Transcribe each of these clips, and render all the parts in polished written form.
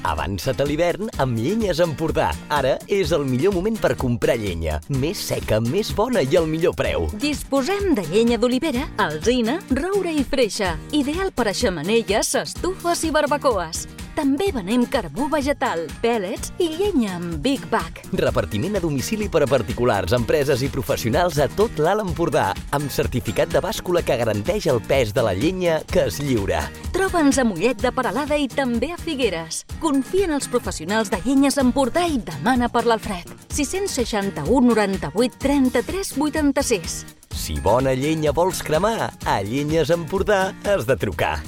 Avança't a l'hivern amb Llenyes Empordà. Ara és el millor moment per comprar llenya. Més seca, més bona i al millor preu. Disposem de llenya d'olivera, alzina, roure i freixa. Ideal per a xemeneies, estufes i barbacoes. També venem carbó vegetal, pèl·lets i llenya amb Big Bag. Repartiment a domicili per a particulars, empreses i professionals a tot l'Alt Empordà, amb certificat de bàscula que garanteix el pes de la llenya que es lliura. Troba'ns a Mollet de Peralada i també a Figueres. Confia en els professionals de Llenyes Empordà i demana per l'Alfred. 661 98 33 86. Si bona llenya vols cremar, a Llenyes Empordà has de trucar.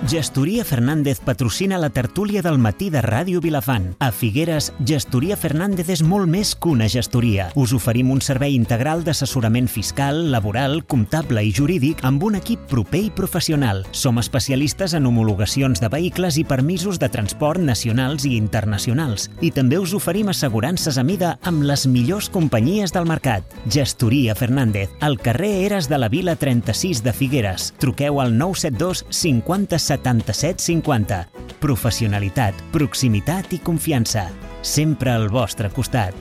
Gestoria Fernández patrocina la tertúlia del matí de Ràdio Vilafant. A Figueres, Gestoria Fernández és molt més que una gestoria. Us oferim un servei integral d'assessorament fiscal, laboral, comptable i jurídic amb un equip proper i professional. Som especialistes en homologacions de vehicles i permisos de transport nacionals i internacionals. I també us oferim assegurances a mida amb les millors companyies del mercat. Gestoria Fernández, al carrer Eres de la Vila 36 de Figueres. Truqueu al 972 50 77 50. Professionalitat, proximitat i confiança. Sempre al vostre costat.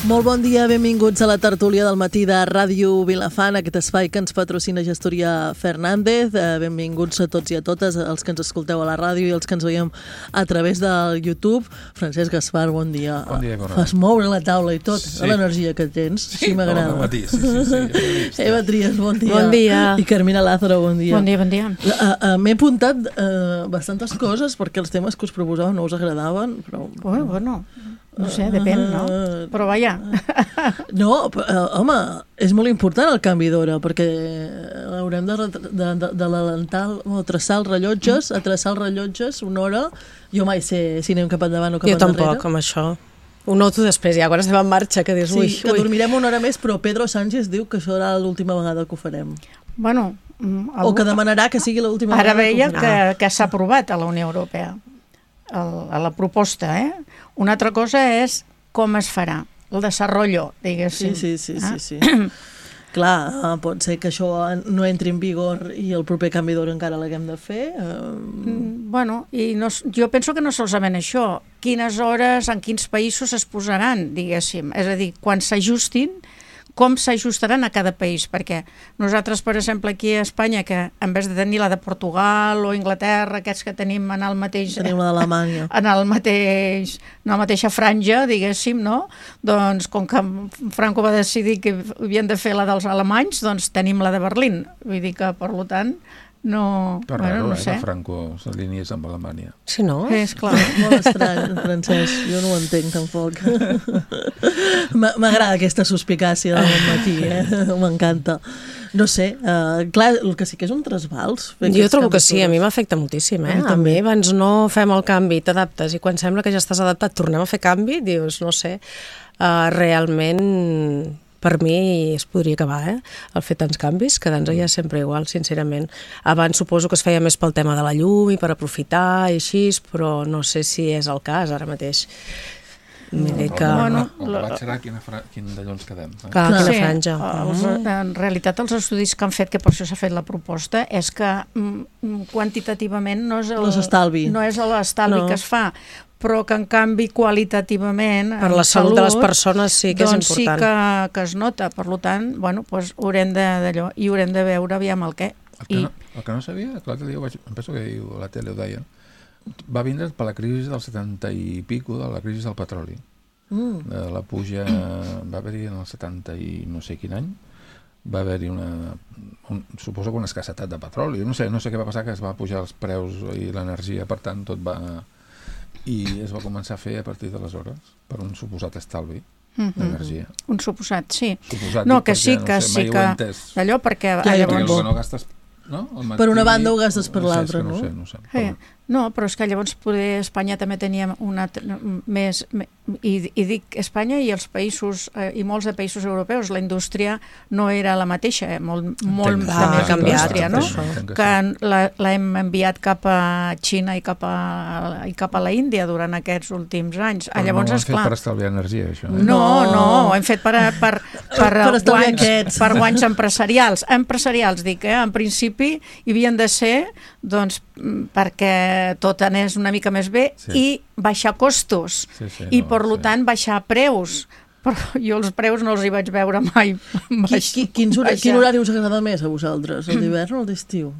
Molt bon dia, benvinguts a la tertúlia del matí de Ràdio Vilafant, aquest espai que ens patrocina Gestoria Fernández. Benvinguts a tots i a totes, els que ens escolteu a la ràdio i els que ens veiem a través del YouTube. Francesc Gaspar, bon dia. Bon dia, Cora. Fas moure la taula i tot, l'energia que tens. Sí, m'agrada. Bon matí, sí. Eva Trias, bon dia. Bon dia. I Carmina Lázaro, bon dia. Bon dia, bon dia. M'he apuntat bastantes coses perquè els temes que us proposava no us agradaven, però... Bueno, no sé, depèn, no? Però vaja. No, home, és molt important el canvi d'hora, perquè haurem d'adelantar o traçar els rellotges, a traçar els rellotges una hora. Jo mai sé si anem cap endavant o cap endarrere. Jo tampoc, amb això. Ho noto després, ja, quan estem en marxa, que dius, ui. Sí, que dormirem una hora més, però Pedro Sánchez diu que això serà l'última vegada que ho farem. Bueno... O que demanarà que sigui l'última vegada que ho farem. Ara veia que s'ha aprovat a la Unió Europea, a la proposta, Una altra cosa és com es farà, el desenvolupament, diguéssim. Sí. Clar, pot ser que això no entri en vigor i el proper canvi d'hora encara l'haguem de fer. Bueno, i no, jo penso que no solament això, quines hores, en quins països es posaran, diguéssim. És a dir, quan s'ajustin, com s'ajustaran a cada país, perquè nosaltres, per exemple, aquí a Espanya, que en vez de tenir la de Portugal o Inglaterra, aquests que tenim en el mateix... Tenim la d'Alemanya. En la mateixa franja, diguéssim, no? Doncs, com que Franco va decidir que havien de fer la dels alemanys, doncs tenim la de Berlín. Vull dir que, per tant, no... Però raro, no sé. Que Franco s'alineés amb Alemanya. Sí, no? És clar. Molt estrany, Francesc. Jo no ho entenc, tampoc. M'agrada aquesta suspicàcia del matí, m'encanta. No sé, clar, el que sí que és un trasbals. Jo trobo que sí, a mi m'afecta moltíssim, A mi abans no fem el canvi, t'adaptes, i quan sembla que ja estàs adaptat tornem a fer canvi, dius, no sé, realment... Per mi es podria acabar, el fer tants canvis, quedant-nos ja sempre igual, sincerament. Abans suposo que es feia més pel tema de la llum i per aprofitar i així, però no sé si és el cas ara mateix. El pelat serà quin d'allò ens quedem. Clar, quina franja. En realitat, els estudis que han fet, que per això s'ha fet la proposta, és que quantitativament no és l'estalvi que es fa, però que en canvi qualitativament per la salut de les persones sí que és important. Doncs sí que es nota, per tant, bueno, doncs haurem de veure aviam el què. El que no sabia, que l'altre dia em penso que a la tele ho deien, va vindre per la crisi del 70 i pico, de la crisi del petroli. La puja va haver-hi en el 70 i no sé quin any, va haver-hi suposo que una escassetat de petroli, no sé què va passar, que es va pujar els preus i l'energia, per tant tot va... i es va començar a fer a partir d'aleshores per un suposat estalvi d'energia. Un suposat, sí. No, que sí, que sí, que d'allò perquè... Llavors... No gastes, no? Per una banda ho gastes per l'altra, no? No sé. No, però és que llavors poder Espanya també tenia més... I dic Espanya i els països, i molts de països europeus, la indústria no era la mateixa, molt de més indústria, no? Que l'hem enviat cap a Xina i cap a la Índia durant aquests últims anys. Però llavors, no ho hem fet per estalviar energia, això. No, ho hem fet per guanys empresarials. Empresarials, dic, en principi hi havien de ser, doncs, perquè tot anés una mica més bé i baixar costos i per tant baixar preus, però jo els preus no els hi vaig veure mai. Quin horari us agrada més a vosaltres, el d'hivern o el d'estiu?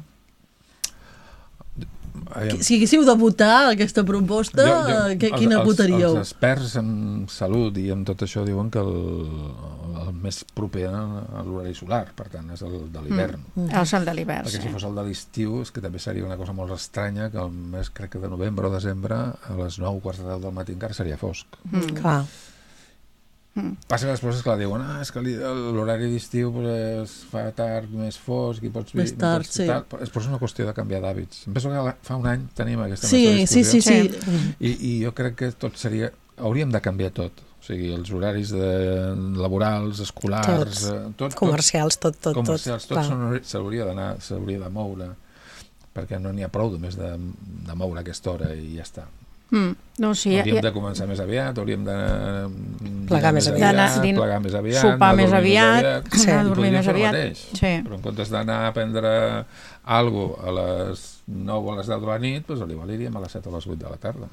Si haguéssiu de votar aquesta proposta, quina votaríeu? Els experts en salut i en tot això diuen que el més proper a l'horari solar, per tant, és el de l'hivern. És el de l'hivern, perquè si fos el de l'estiu, és que també seria una cosa molt estranya que el mes, crec que de novembre o desembre, a les 9, quarts de 10 del matí encara seria fosc. Clar. Passa que després, esclar, diuen és que l'horari d'estiu es fa tard, més fosc i pots... Més tard, sí. És una qüestió de canviar d'hàbits. Em penso que fa un any tenim aquesta discussió. Sí. I jo crec que tot seria... Hauríem de canviar tot. O sigui, els horaris laborals, escolars... Tot, comercials, tot. Comercials, tot s'hauria de moure, perquè no n'hi ha prou només de moure aquesta hora i ja està. Hauríem de començar més aviat, hauríem de plegar més aviat, sopar més aviat, dormir més aviat. Però en comptes d'anar a prendre alguna cosa a les 9 o a les 10 de la nit, doncs aniríem a les 7 o a les 8 de la tarda.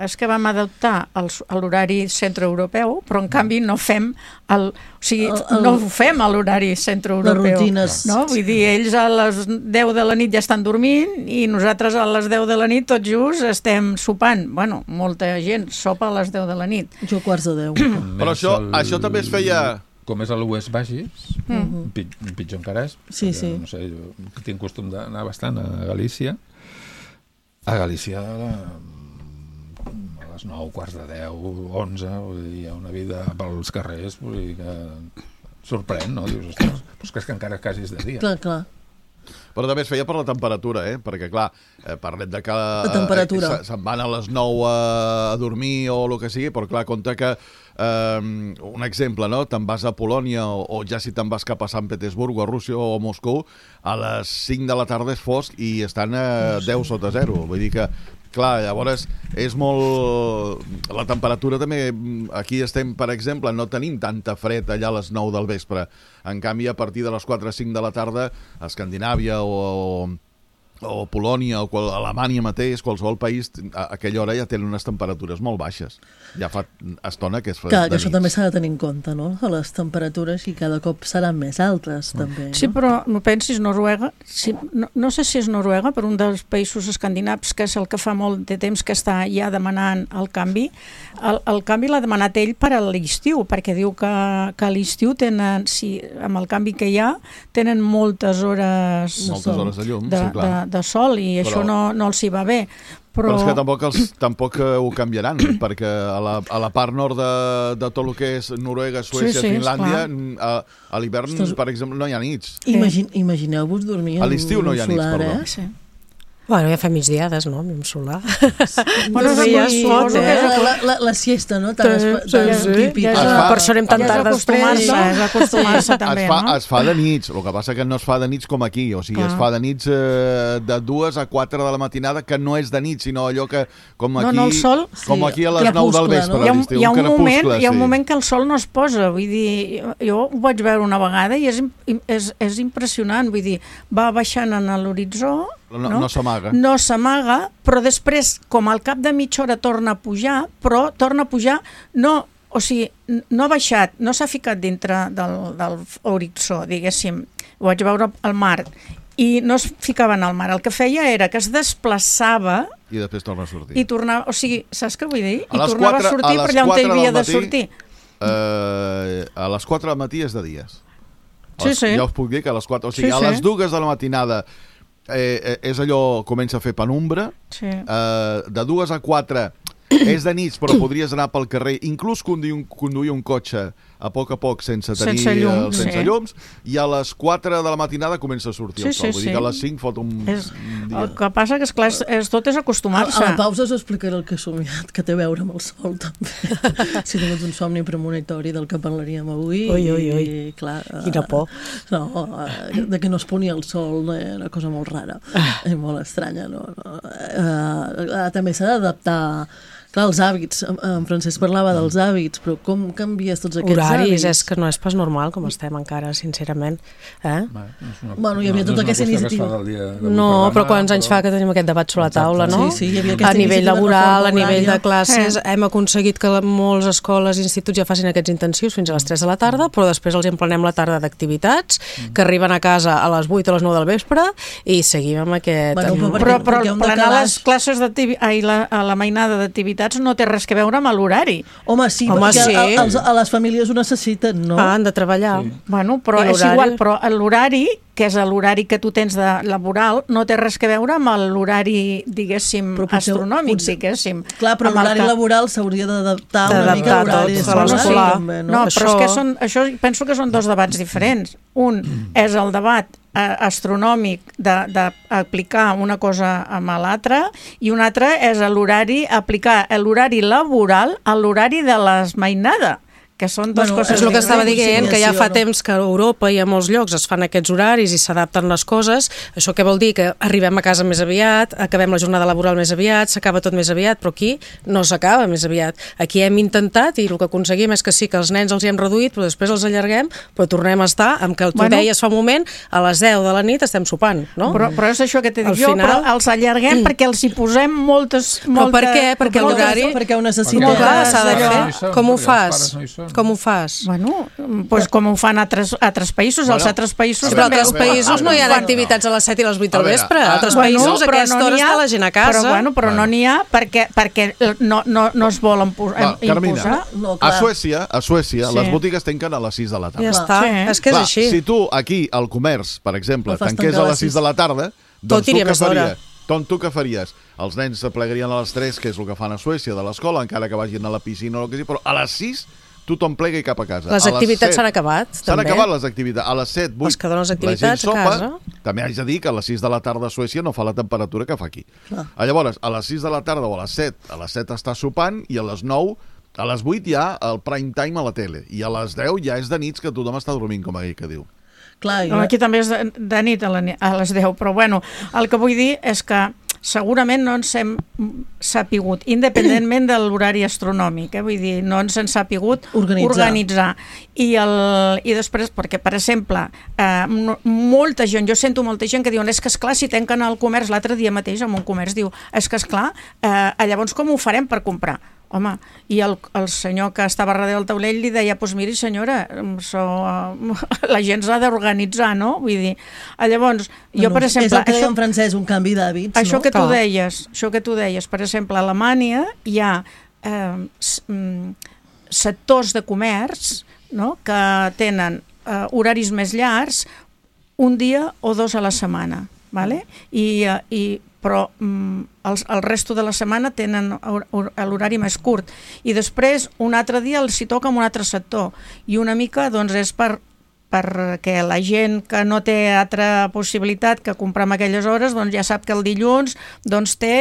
És que vam adaptar l'horari centroeuropeu, però en canvi no fem no ho fem a l'horari centroeuropeu. Les rutines. Vull dir, ells a les 10 de la nit ja estan dormint i nosaltres a les 10 de la nit tots just estem sopant. Bueno, molta gent sopa a les 10 de la nit. Jo quarts de 10. Però això també es feia... Com és a l'oest baixis, pitjor encara és. Sí. No sé, jo tinc costum d'anar bastant a Galícia. A Galícia a les 9, quarts de 10, 11, hi ha una vida pels carrers que sorprèn, no? Dius, ostres, però és que encara quasi és de dia. Clar. Però també es feia per la temperatura, perquè, clar, parlem de que se'n van a les 9 a dormir o el que sigui, però, clar, compte que, un exemple, no? Te'n vas a Polònia o ja si te'n vas cap a Sant Petersburg o a Rússia o a Moscou, a les 5 de la tarda és fosc i estan a 10 sota 0. Vull dir que, clar, llavors és molt... La temperatura també... Aquí estem, per exemple, no tenim tanta fred allà a les 9 del vespre. En canvi, a partir de les 4 o 5 de la tarda, a Escandinàvia o Polònia o Alemanya mateix, qualsevol país, a aquella hora ja tenen unes temperatures molt baixes. Ja fa estona que és fred. Clar, que això també s'ha de tenir en compte, no? Les temperatures i cada cop seran més altes, també. Sí, però no pensis, Noruega, no sé si és Noruega, però un dels països escandinaus, que és el que fa molt de temps que està ja demanant el canvi, el canvi l'ha demanat ell per a l'estiu, perquè diu que a l'estiu tenen, amb el canvi que hi ha, tenen moltes hores de llum, sí, clar. De sol i això no els hi va bé. Però és que tampoc ho canviaran, perquè a la part nord de tot el que és Noruega, Suècia, Finlàndia, a l'hivern, per exemple, no hi ha nits. Imagineu-vos dormir a l'estiu no hi ha nits, perdó. Sí. Bueno, ja fa migdiades, no? Amb solar. Bueno, la siesta, no? Tan típica. Per això anem tan tard després. És acostumar-se també, no? Es fa de nits, el que passa que no es fa de nits com aquí, o sigui, es fa de nits de 2 a 4 de la matinada, que no és de nit, sinó allò que, com aquí a les 9 del vespre, a l'estiu, hi ha un moment que el sol no es posa, vull dir, jo ho vaig veure una vegada i és impressionant, vull dir, va baixant en l'horitzó. No s'amaga. No s'amaga, però després, com al cap de mitja hora torna a pujar, però torna a pujar, no ha baixat, no s'ha ficat dintre del horitzó, diguéssim. Ho vaig veure al mar i no es ficava en el mar. El que feia era que es desplaçava i després torna a sortir. I tornava, o sigui, saps què vull dir? I tornava a sortir per allà on havia de sortir. A les 4 del matí és de dies. Sí. Ja us puc dir que a les 4, o sigui, a les 2 de la matinada és allò, comença a fer penombra, de 2 a 4 és de nits, però podries anar pel carrer, inclús conduir un cotxe a poc sense tenir llums, i a les 4 de la matinada comença a sortir el sol. Vull dir que a les 5 fot un dia. El que passa que, esclar, tot és acostumar-se. A la pausa us explicaré el que he somiat, que té a veure amb el sol, també. Si tingués un somni premonitori del que parlaríem avui. Ui. Clar, quina por. No, de que no es ponia el sol, una cosa molt rara, i molt estranya. També s'ha d'adaptar. Clar, els hàbits, en Francesc parlava dels hàbits, però com canvies tots aquests horaris, hàbits? És que no és pas normal com estem encara, sincerament. Bueno, hi havia tota aquesta iniciativa. No, però quants anys fa que tenim aquest debat sobre la taula, no? Sí, hi havia aquesta a nivell laboral, a nivell de classes, hem aconseguit que moltes escoles i instituts ja facin aquests intensius fins a les 3 de la tarda, però després els emplenem la tarda d'activitats, que arriben a casa a les 8 o les 9 del vespre, i seguim amb aquest... Però plenar les classes a la mainada d'activitats no té res que veure amb l'horari. Home, sí, perquè a les famílies ho necessiten, no? Han de treballar. Bueno, però és igual, però l'horari, que és l'horari que tu tens de laboral, no té res que veure amb l'horari, diguéssim, astronòmic, diguéssim. Clar, però l'horari laboral s'hauria d'adaptar una mica a l'horari escolar. No, però és que això penso que són dos debats diferents. Un és el debat astronòmic d'aplicar una cosa amb l'altra, i un altre és aplicar l'horari laboral a l'horari de l'esmainada, que són dues coses. És el que estava dient, que ja fa temps que a Europa i a molts llocs es fan aquests horaris i s'adapten les coses. Això què vol dir? Que arribem a casa més aviat, acabem la jornada laboral més aviat, s'acaba tot més aviat, però aquí no s'acaba més aviat. Aquí hem intentat, i el que aconseguim és que sí, que els nens els hi hem reduït, però després els allarguem, però tornem a estar amb que tu deies fa un moment, a les 10 de la nit estem sopant, no? Però és això que t'he dit jo, però els allarguem perquè els hi posem moltes... Però per què? Perquè l'horari... Perquè ho necessitem. S'ha de fer. Com ho fas? Com ho fas? Bueno, doncs com ho fan altres països, als altres països... Però altres països no hi ha activitats a les 7 i les 8 del vespre. A altres països a aquesta hora està la gent a casa. Però no n'hi ha perquè no es volen imposar. Carmina, a Suècia les botigues tanquen a les 6 de la tarda. Ja està, és que és així. Si tu aquí, al comerç, per exemple, tanqués a les 6 de la tarda, doncs tu què faries? Els nens s'aplegarien a les 3, que és el que fan a Suècia, de l'escola, encara que vagin a la piscina o el que sigui, però a les 6 tothom plega i cap a casa. Les activitats s'han acabat, també. S'han acabat les activitats. A les 7, 8, les que donen les activitats a casa. També haig de dir que a les 6 de la tarda a Suècia no fa la temperatura que fa aquí. Llavors, a les 6 de la tarda o a les 7 està sopant, i a les 9, a les 8 hi ha el prime time a la tele, i a les 10 ja és de nits que tothom està dormint, com aquell que diu. Aquí també és de nit a les 10, però bueno, el que vull dir és que segurament no ens hem sapigut, independentment de l'horari astronòmic, vull dir, no ens hem sapigut organitzar. I després, perquè, per exemple, molta gent, jo sento molta gent que diuen, és que esclar, si tanquen el comerç, l'altre dia mateix en un comerç diu, és que esclar, llavors com ho farem per comprar? Home, i el senyor que estava darrere del taulell li deia, doncs miri senyora, la gent s'ha d'organitzar, no? Vull dir, llavors, jo per exemple... És el que deia en francès, un canvi d'hàbits, no? Això que tu deies, per exemple, a Alemanya hi ha sectors de comerç, no?, que tenen horaris més llargs, un dia o 2 a la setmana, ¿vale? Però el resto de la setmana tenen l'horari més curt, i després un altre dia els hi toca amb un altre sector, i una mica doncs és perquè la gent que no té altra possibilitat que comprar en aquelles hores, doncs ja sap que el dilluns doncs té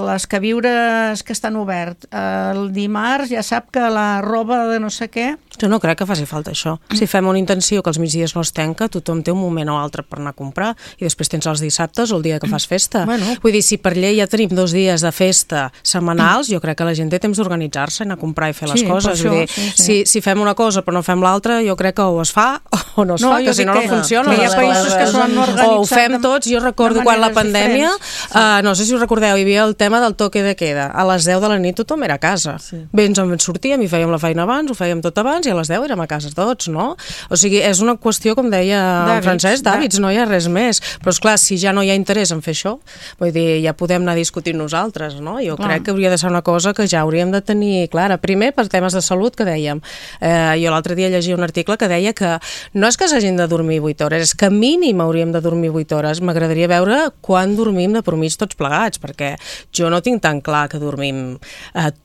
les queviures que estan oberts, el dimarts ja sap que la roba de no sé què... Jo no crec que faci falta això. Si fem una intenció que els migdies no es tanca, tothom té un moment o altre per anar a comprar, i després tens els dissabtes o el dia que fas festa. Vull dir, si per llei ja tenim 2 dies de festa setmanals, jo crec que la gent té temps d'organitzar-se, anar a comprar i fer les coses. Vull dir, si fem una cosa però no fem l'altra, jo crec que o es fa o no es fa, que si no funciona. Hi ha països que s'ho han organitzat. O ho fem tots. Jo recordo quan la pandèmia, no sé si us recordeu, hi havia el tema del toque de queda. A les 10 de la nit tothom era a casa. Bé, ens en sortíem i fèiem la feina abans, ho fèiem tot abans, i a les 10 érem a casa tots, no? O sigui, és una qüestió, com deia en Francesc, d'hàbits, no hi ha res més. Però, esclar, si ja no hi ha interès en fer això, vull dir, ja podem anar discutint nosaltres, no? Jo crec que hauria de ser una cosa que ja hauríem de tenir clara. Primer, per temes de salut, que dèiem. Jo l'altre dia llegia un article que deia que no és que s'hagin de dormir 8 hores, és que mínim hauríem de dormir 8 hores. M'agradaria veure quan dormim de promís tots plegats, perquè jo no tinc tan clar que dormim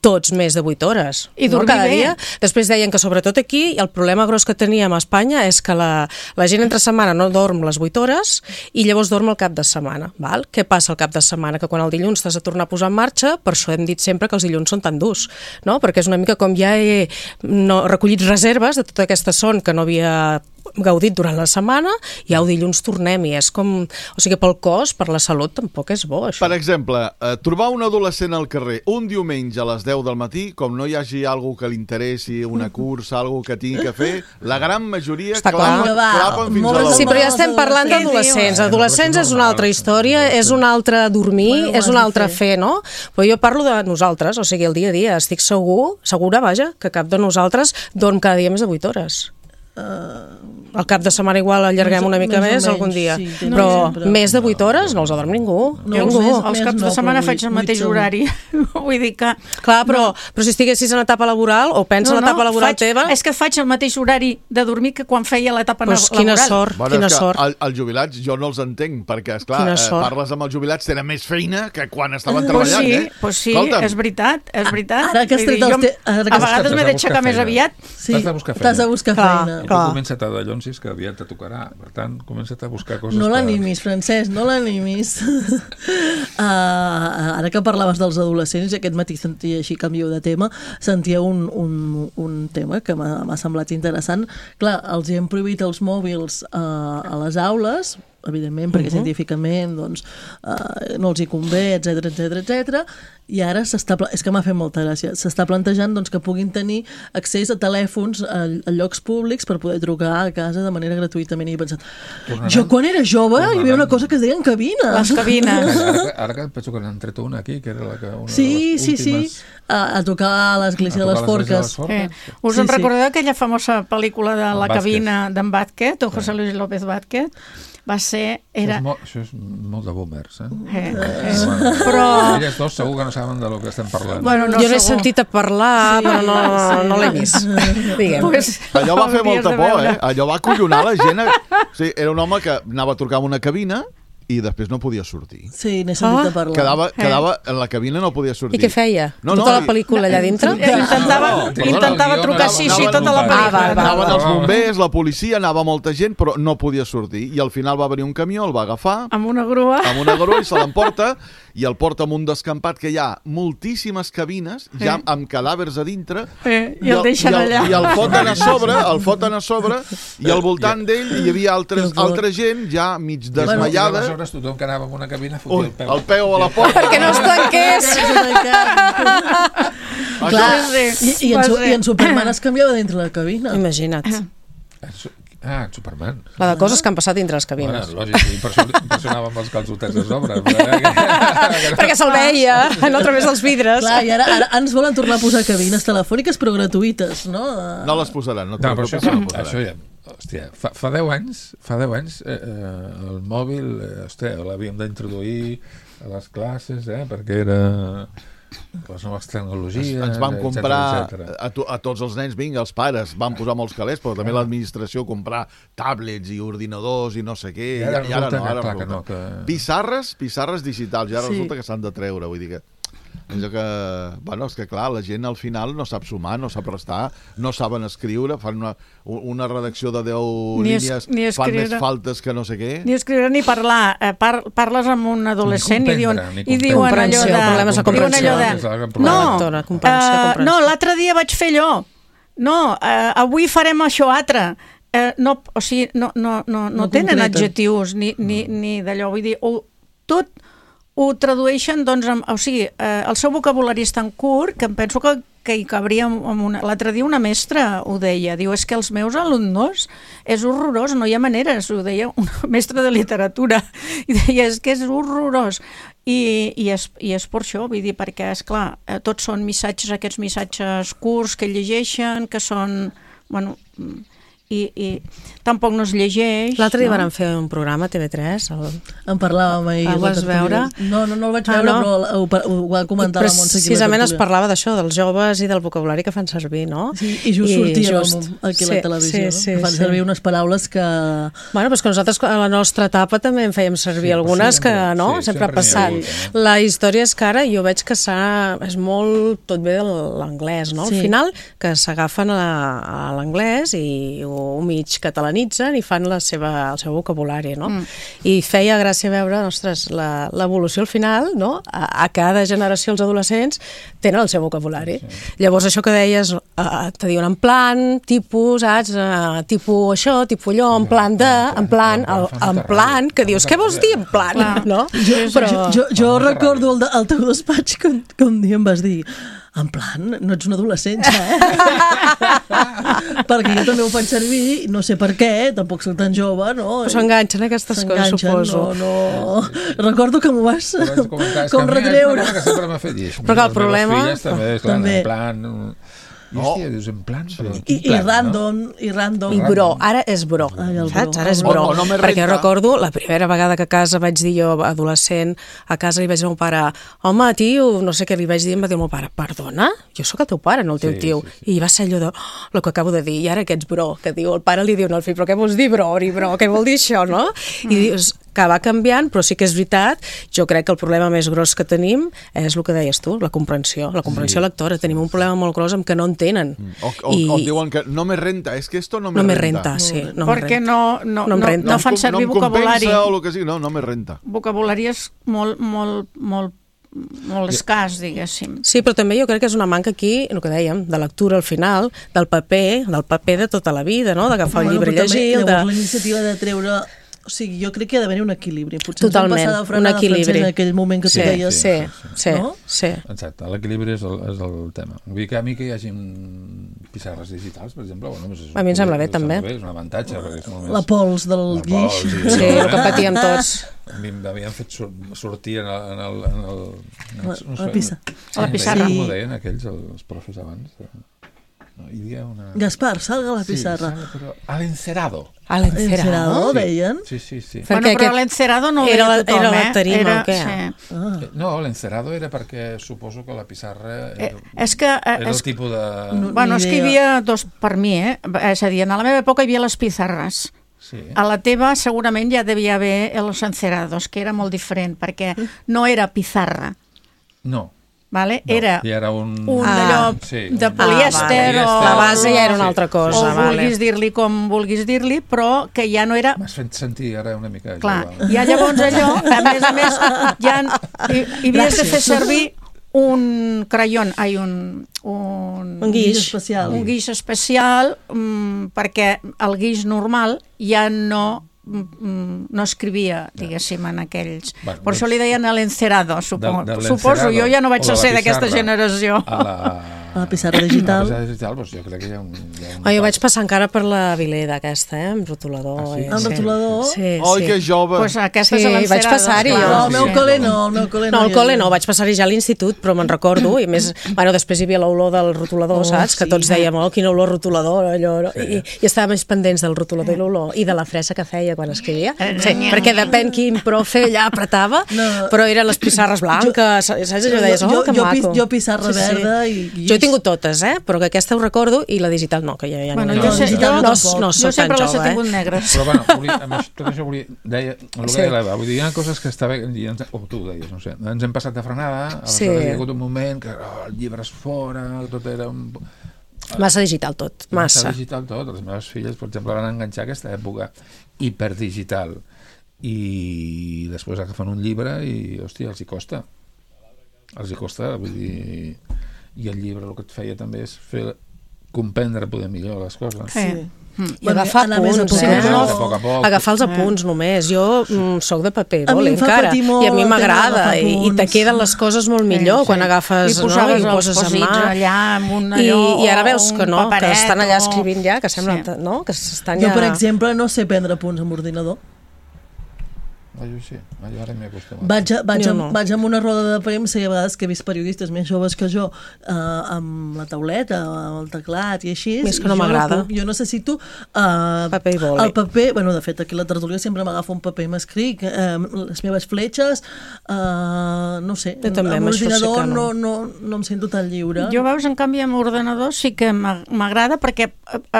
tots més de 8 hores. I dormir cada bé. dia. Després deien que sobretot aquí el problema gros que teníem a Espanya és que la gent entre setmana no dorm les 8 hores i llavors dorm el cap de setmana. Val? Què passa el cap de setmana? Que quan el dilluns t'has de tornar a posar en marxa, per això hem dit sempre que els dilluns són tan durs, no? Perquè és una mica com ja he recollit reserves de tota aquesta son que no havia gaudit durant la setmana i au dilluns tornem-hi. És com... O sigui, pel cos, per la salut, tampoc és bo, això. Per exemple, trobar un adolescent al carrer un diumenge a les 10 del matí, com no hi hagi algú que li interessi, una cursa, algú que tingui que fer, la gran majoria clapen fins a la 1. Sí, però ja estem parlant d'adolescents. Adolescents és una altra història, és un altre dormir, és un altre fer, no? Però jo parlo de nosaltres, o sigui, el dia a dia. Estic segura, vaja, que cap de nosaltres dorm cada dia més de 8 hores. Al cap de setmana igual allarguem una mica més algun dia, sí, però més de 8 hores no els adorm ningú. Els caps de setmana faig el mateix horari. Vull dir que... Clar, però si estiguessis en etapa laboral o pensa en l'etapa laboral teva... És que faig el mateix horari de dormir que quan feia l'etapa laboral. Quina sort, quina sort. Els jubilats jo no els entenc, perquè, esclar, parles amb els jubilats, tenen més feina que quan estaven treballant, Pues sí, és veritat, és veritat. Ara que has tret els... A vegades m'he d'aixecar més aviat. T'has de buscar feina. Tu comença't a dallonsis, que aviat te tocarà. Per tant, comença't a buscar coses... No l'animis, Francesc, no l'animis. Ara que parlaves dels adolescents, i aquest matí sentia així, canvio de tema, sentia un tema que m'ha semblat interessant. Clar, els hi hem prohibit els mòbils a les aules, evidentment, perquè científicament doncs, no els hi convé, etc. I ara és que m'ha fet molta gràcia, s'està plantejant doncs, que puguin tenir accés a telèfons a llocs públics per poder trucar a casa de manera gratuïtament. I he pensat, jo quan era jove hi havia una cosa que es deien cabines. Les cabines. Ara que penso que n'han tret una aquí, que era una de les últimes... A tocar a l'església de les Forques. Us en recordeu aquella famosa pel·lícula de La cabina d'en Vázquez, o José Luis López Vázquez? Va ser... Això és molt de boomers, Però... Elles dos segur que no saben de lo que estem parlant. Jo n'he sentit a parlar, però no l'he vist. Allò va fer molta por, allò va acollonar la gent. Era un home que anava a trucar en una cabina i després no podia sortir. Sí, n'he sentit a parlar. Quedava en la cabina, no podia sortir. I què feia? Tota la pel·lícula allà dintre? Intentava trucar tota la pel·lícula. Anaven els bombers, la policia, anava molta gent, però no podia sortir. I al final va venir un camió, el va agafar... Amb una grua i se l'emporta, i el porta amb un descampat que hi ha moltíssimes cabines, ja amb cadàvers a dintre, i el deixen allà. I el foten a sobre, i al voltant d'ell hi havia altra gent ja mig desmaiada. Aleshores tothom que anava en una cabina fotia el peu a la porta. Perquè no es tanqués. Clar, i en Superman es canviava dintre la cabina. Imagina't. En Superman. La de coses que han passat dintre les cabines. Lògic, i per això anava amb els calçotets a sobre. Perquè se'l veia, no a través dels vidres. Clar, i ara ens volen tornar a posar cabines telefòniques però gratuïtes, no? No les posaran. No, però això ja... Hòstia, fa 10 anys el mòbil l'havíem d'introduir a les classes perquè era les noves tecnologies, ens van comprar a tots els nens, vinga, els pares van posar molts calés, però també l'administració comprar tablets i ordinadors i no sé què, i ara no. Pissarres digitals, i ara resulta que s'han de treure, vull dir que és que clar, la gent al final no sap sumar, no sap restar, no saben escriure, fan una redacció de 10 línies, fan més faltes que no sé què. Ni escriure ni parlar. Parles amb un adolescent i diuen allò de... No, l'altre dia vaig fer allò. No, avui farem això altre. O sigui, no tenen adjectius ni d'allò. Vull dir, tot ho tradueixen, doncs, o sigui, el seu vocabulari és tan curt que em penso que hi cabria l'altre dia una mestra ho deia, diu, és que els meus alumnes és horrorós, no hi ha maneres, ho deia una mestra de literatura, i deia, és que és horrorós, i és per això, vull dir, perquè, esclar, tots són missatges, aquests missatges curts que llegeixen, que són, bueno... i tampoc no es llegeix. L'altre dia van fer un programa a TV3. En parlàvem ahir. El vas veure? No el vaig veure, però ho va comentar la Montse. Precisament es parlava d'això, dels joves i del vocabulari que fan servir, no? Sí, i just sortíem aquí a la televisió, que fan servir unes paraules que... Bueno, doncs que nosaltres a la nostra etapa també en fèiem servir algunes que, no? Sempre passant. La història és que ara jo veig que és molt tot bé de l'anglès, no? Al final, que s'agafen a l'anglès i ho mig catalanitzen i fan el seu vocabulari, no? I feia gràcia veure, ostres, l'evolució al final, no? A cada generació els adolescents tenen el seu vocabulari. Llavors això que deies, te diuen en plan, tipus, saps? Tipus això, tipus allò, en plan, que dius, què vols dir en plan? No? Jo recordo el teu despatx que un dia em vas dir en plan, no ets un adolescent ja, perquè jo també ho faig servir, no sé per què, tampoc soc tan jove, no? Però s'enganxen aquestes coses, suposo. No. Recordo que m'ho vas com retreure. Però el problema... També. En plan... I hòstia, dius, en plan... I random. I bro, ara és bro, saps? Ara és bro. Perquè recordo, la primera vegada que a casa vaig dir jo, adolescent, a casa li vaig dir al meu pare, home, tio, no sé què li vaig dir, em va dir el meu pare, perdona? Jo sóc el teu pare, no el teu tio. I va ser allò de, el que acabo de dir, i ara que ets bro, que diu, el pare li diu al fill, però què vols dir bro, què vol dir això, no? I dius, que va canviant, però sí que és veritat, jo crec que el problema més gros que tenim és el que deies tu, la comprensió lectora. Tenim un problema molt gros amb que no entenen. O diuen que no me renta, és que esto no me renta. Sí, perquè no fan servir vocabulari. No em compensa o el que sigui, no me renta. Vocabulari és molt escàs, diguéssim. Sí, però també jo crec que és una manca aquí, el que dèiem, de lectura al final, del paper de tota la vida, no? D'agafar el llibre i llegir. Llavors la iniciativa de treure... O sigui, jo crec que ha d'haver un equilibri. Potser totalment, ens vam passar de frenar en aquell moment que tu deies. Sí. Exacte, l'equilibri és el tema. Vull dir que a mi que hi hagi pissarres digitals, per exemple... A mi em sembla bé, també. És un avantatge, perquè és molt més... La pols del guix. Sí, el que patíem tots. M'havien fet sortir en el... La pissarra. Com ho deien aquells, els profes abans? Hi havia una... Gaspar, salga a la pissarra. Sí, però a l'encerado. A l'encerado, deien? Sí. Bueno, però l'encerado no ho veia tothom, Era la tarima o què? No, l'encerado era perquè suposo que la pissarra era el tipus de... Bueno, és que hi havia dos, per mi, és a dir, en la meva època hi havia les pissarres. A la teva segurament ja devia haver els encerados, que era molt diferent, perquè no era pissarra. No. Vale? Era un allò de polièster o... La base ja era una altra cosa. O vulguis dir-li com vulguis dir-li, però que ja no era... M'has fet sentir ara una mica... Clar, ja llavors allò, a més, ja hi havies de fer servir un crayón, un guix especial. Un guix especial, perquè el guix normal ja no escrivia, diguéssim, en aquells... Per això li deien l'encerado, suposo. Jo ja no vaig ser d'aquesta generació. A la pissarra digital. Doncs jo crec que hi ha un... Jo vaig passar encara per la Vileda aquesta, amb rotulador. Amb rotulador? Sí. Oi, que jove! Doncs aquesta és l'encerado. Vaig passar-hi. El meu col·le no. No, el col·le no, vaig passar-hi ja a l'institut, però me'n recordo, i més, bueno, després hi havia l'olor del rotulador, saps? Que tots dèiem, quina olor rotulador, allò, i estava més pendents del rotulador i l'olor, i de la fresa que feia quan escrivia, perquè depèn quin profe allà apretava, però eren les pissarres blanques, saps? Allò deies, que maco. Jo pissarra verda i... Jo he tingut totes, però que aquesta ho recordo, i la digital no, que ja no. Jo sempre les he tingut negres. Però bueno, tot això volia... Deia, el que deia l'Eva, vull dir, hi ha coses que està bé, o tu ho deies, no sé, ens hem passat de frenada, hi ha hagut un moment que el llibre és fora, tot era un... Massa digital tot, massa. Massa digital tot, les meves filles, per exemple, van enganxar aquesta època hiperdigital i després agafen un llibre i, hòstia, els hi costa, vull dir... I el llibre el que et feia també és fer comprendre poder millor les coses. Sí. I agafar apunts, agafar els apunts només. Jo soc de paper, encara, i a mi m'agrada, i te queden les coses molt millor quan agafes, i poses els posits allà amb un allò, i ara veus que no, que estan allà escrivint ja, que sembla, no? Que estan ja... Jo, per exemple, no sé prendre apunts amb ordinador. Jo sí, jo ara m'he acostumat. Vaig amb una roda de premsa i a vegades que he vist periodistes més joves que jo amb la tauleta, amb el teclat i així. Més que no m'agrada. Jo necessito paper i boli. El paper, bueno, de fet, aquí a la tertúlia sempre m'agafa un paper i m'escric, les meves fletxes, no sé, amb l'ordinador no em sento tan lliure. Jo, veus, en canvi, amb ordenador sí que m'agrada perquè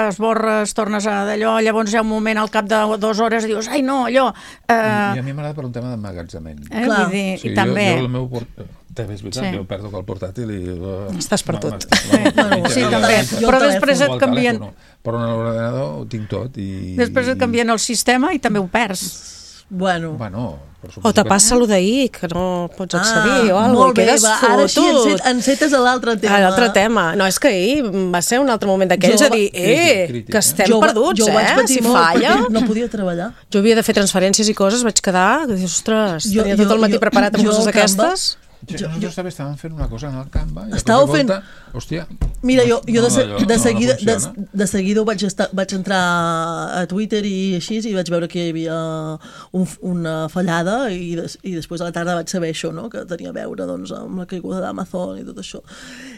esborres, tornes a d'allò, llavors hi ha un moment al cap de 2 hores i dius, ai no, allò... I a mi m'agrada per un tema d'emmagatzament. Vull dir, i també... Jo el meu també és veritat, jo perdo el portàtil i... Estàs per tot. Sí, també. Però després et canvien... Però en l'ordenador ho tinc tot i... Després et canvien el sistema i també ho perds. Bueno, o te passa allò d'ahir, que no pots accedir o alguna cosa, i quedes fotut. Ara sí, encetes a l'altre tema. L'altre tema. No, és que ahir va ser un altre moment d'aquells a dir, que estem perduts, si falla. No podia treballar. Jo havia de fer transferències i coses, vaig quedar, que dius, ostres, tenia tot el matí preparat amb coses d'aquestes. Nosaltres també estàvem fent una cosa en el Canva i estàveu fent... Hòstia, mira, jo de seguida vaig entrar a Twitter i així i vaig veure que hi havia una fallada i després a la tarda vaig saber això, no? Que tenia a veure doncs, amb la caiguda d'Amazon i tot això,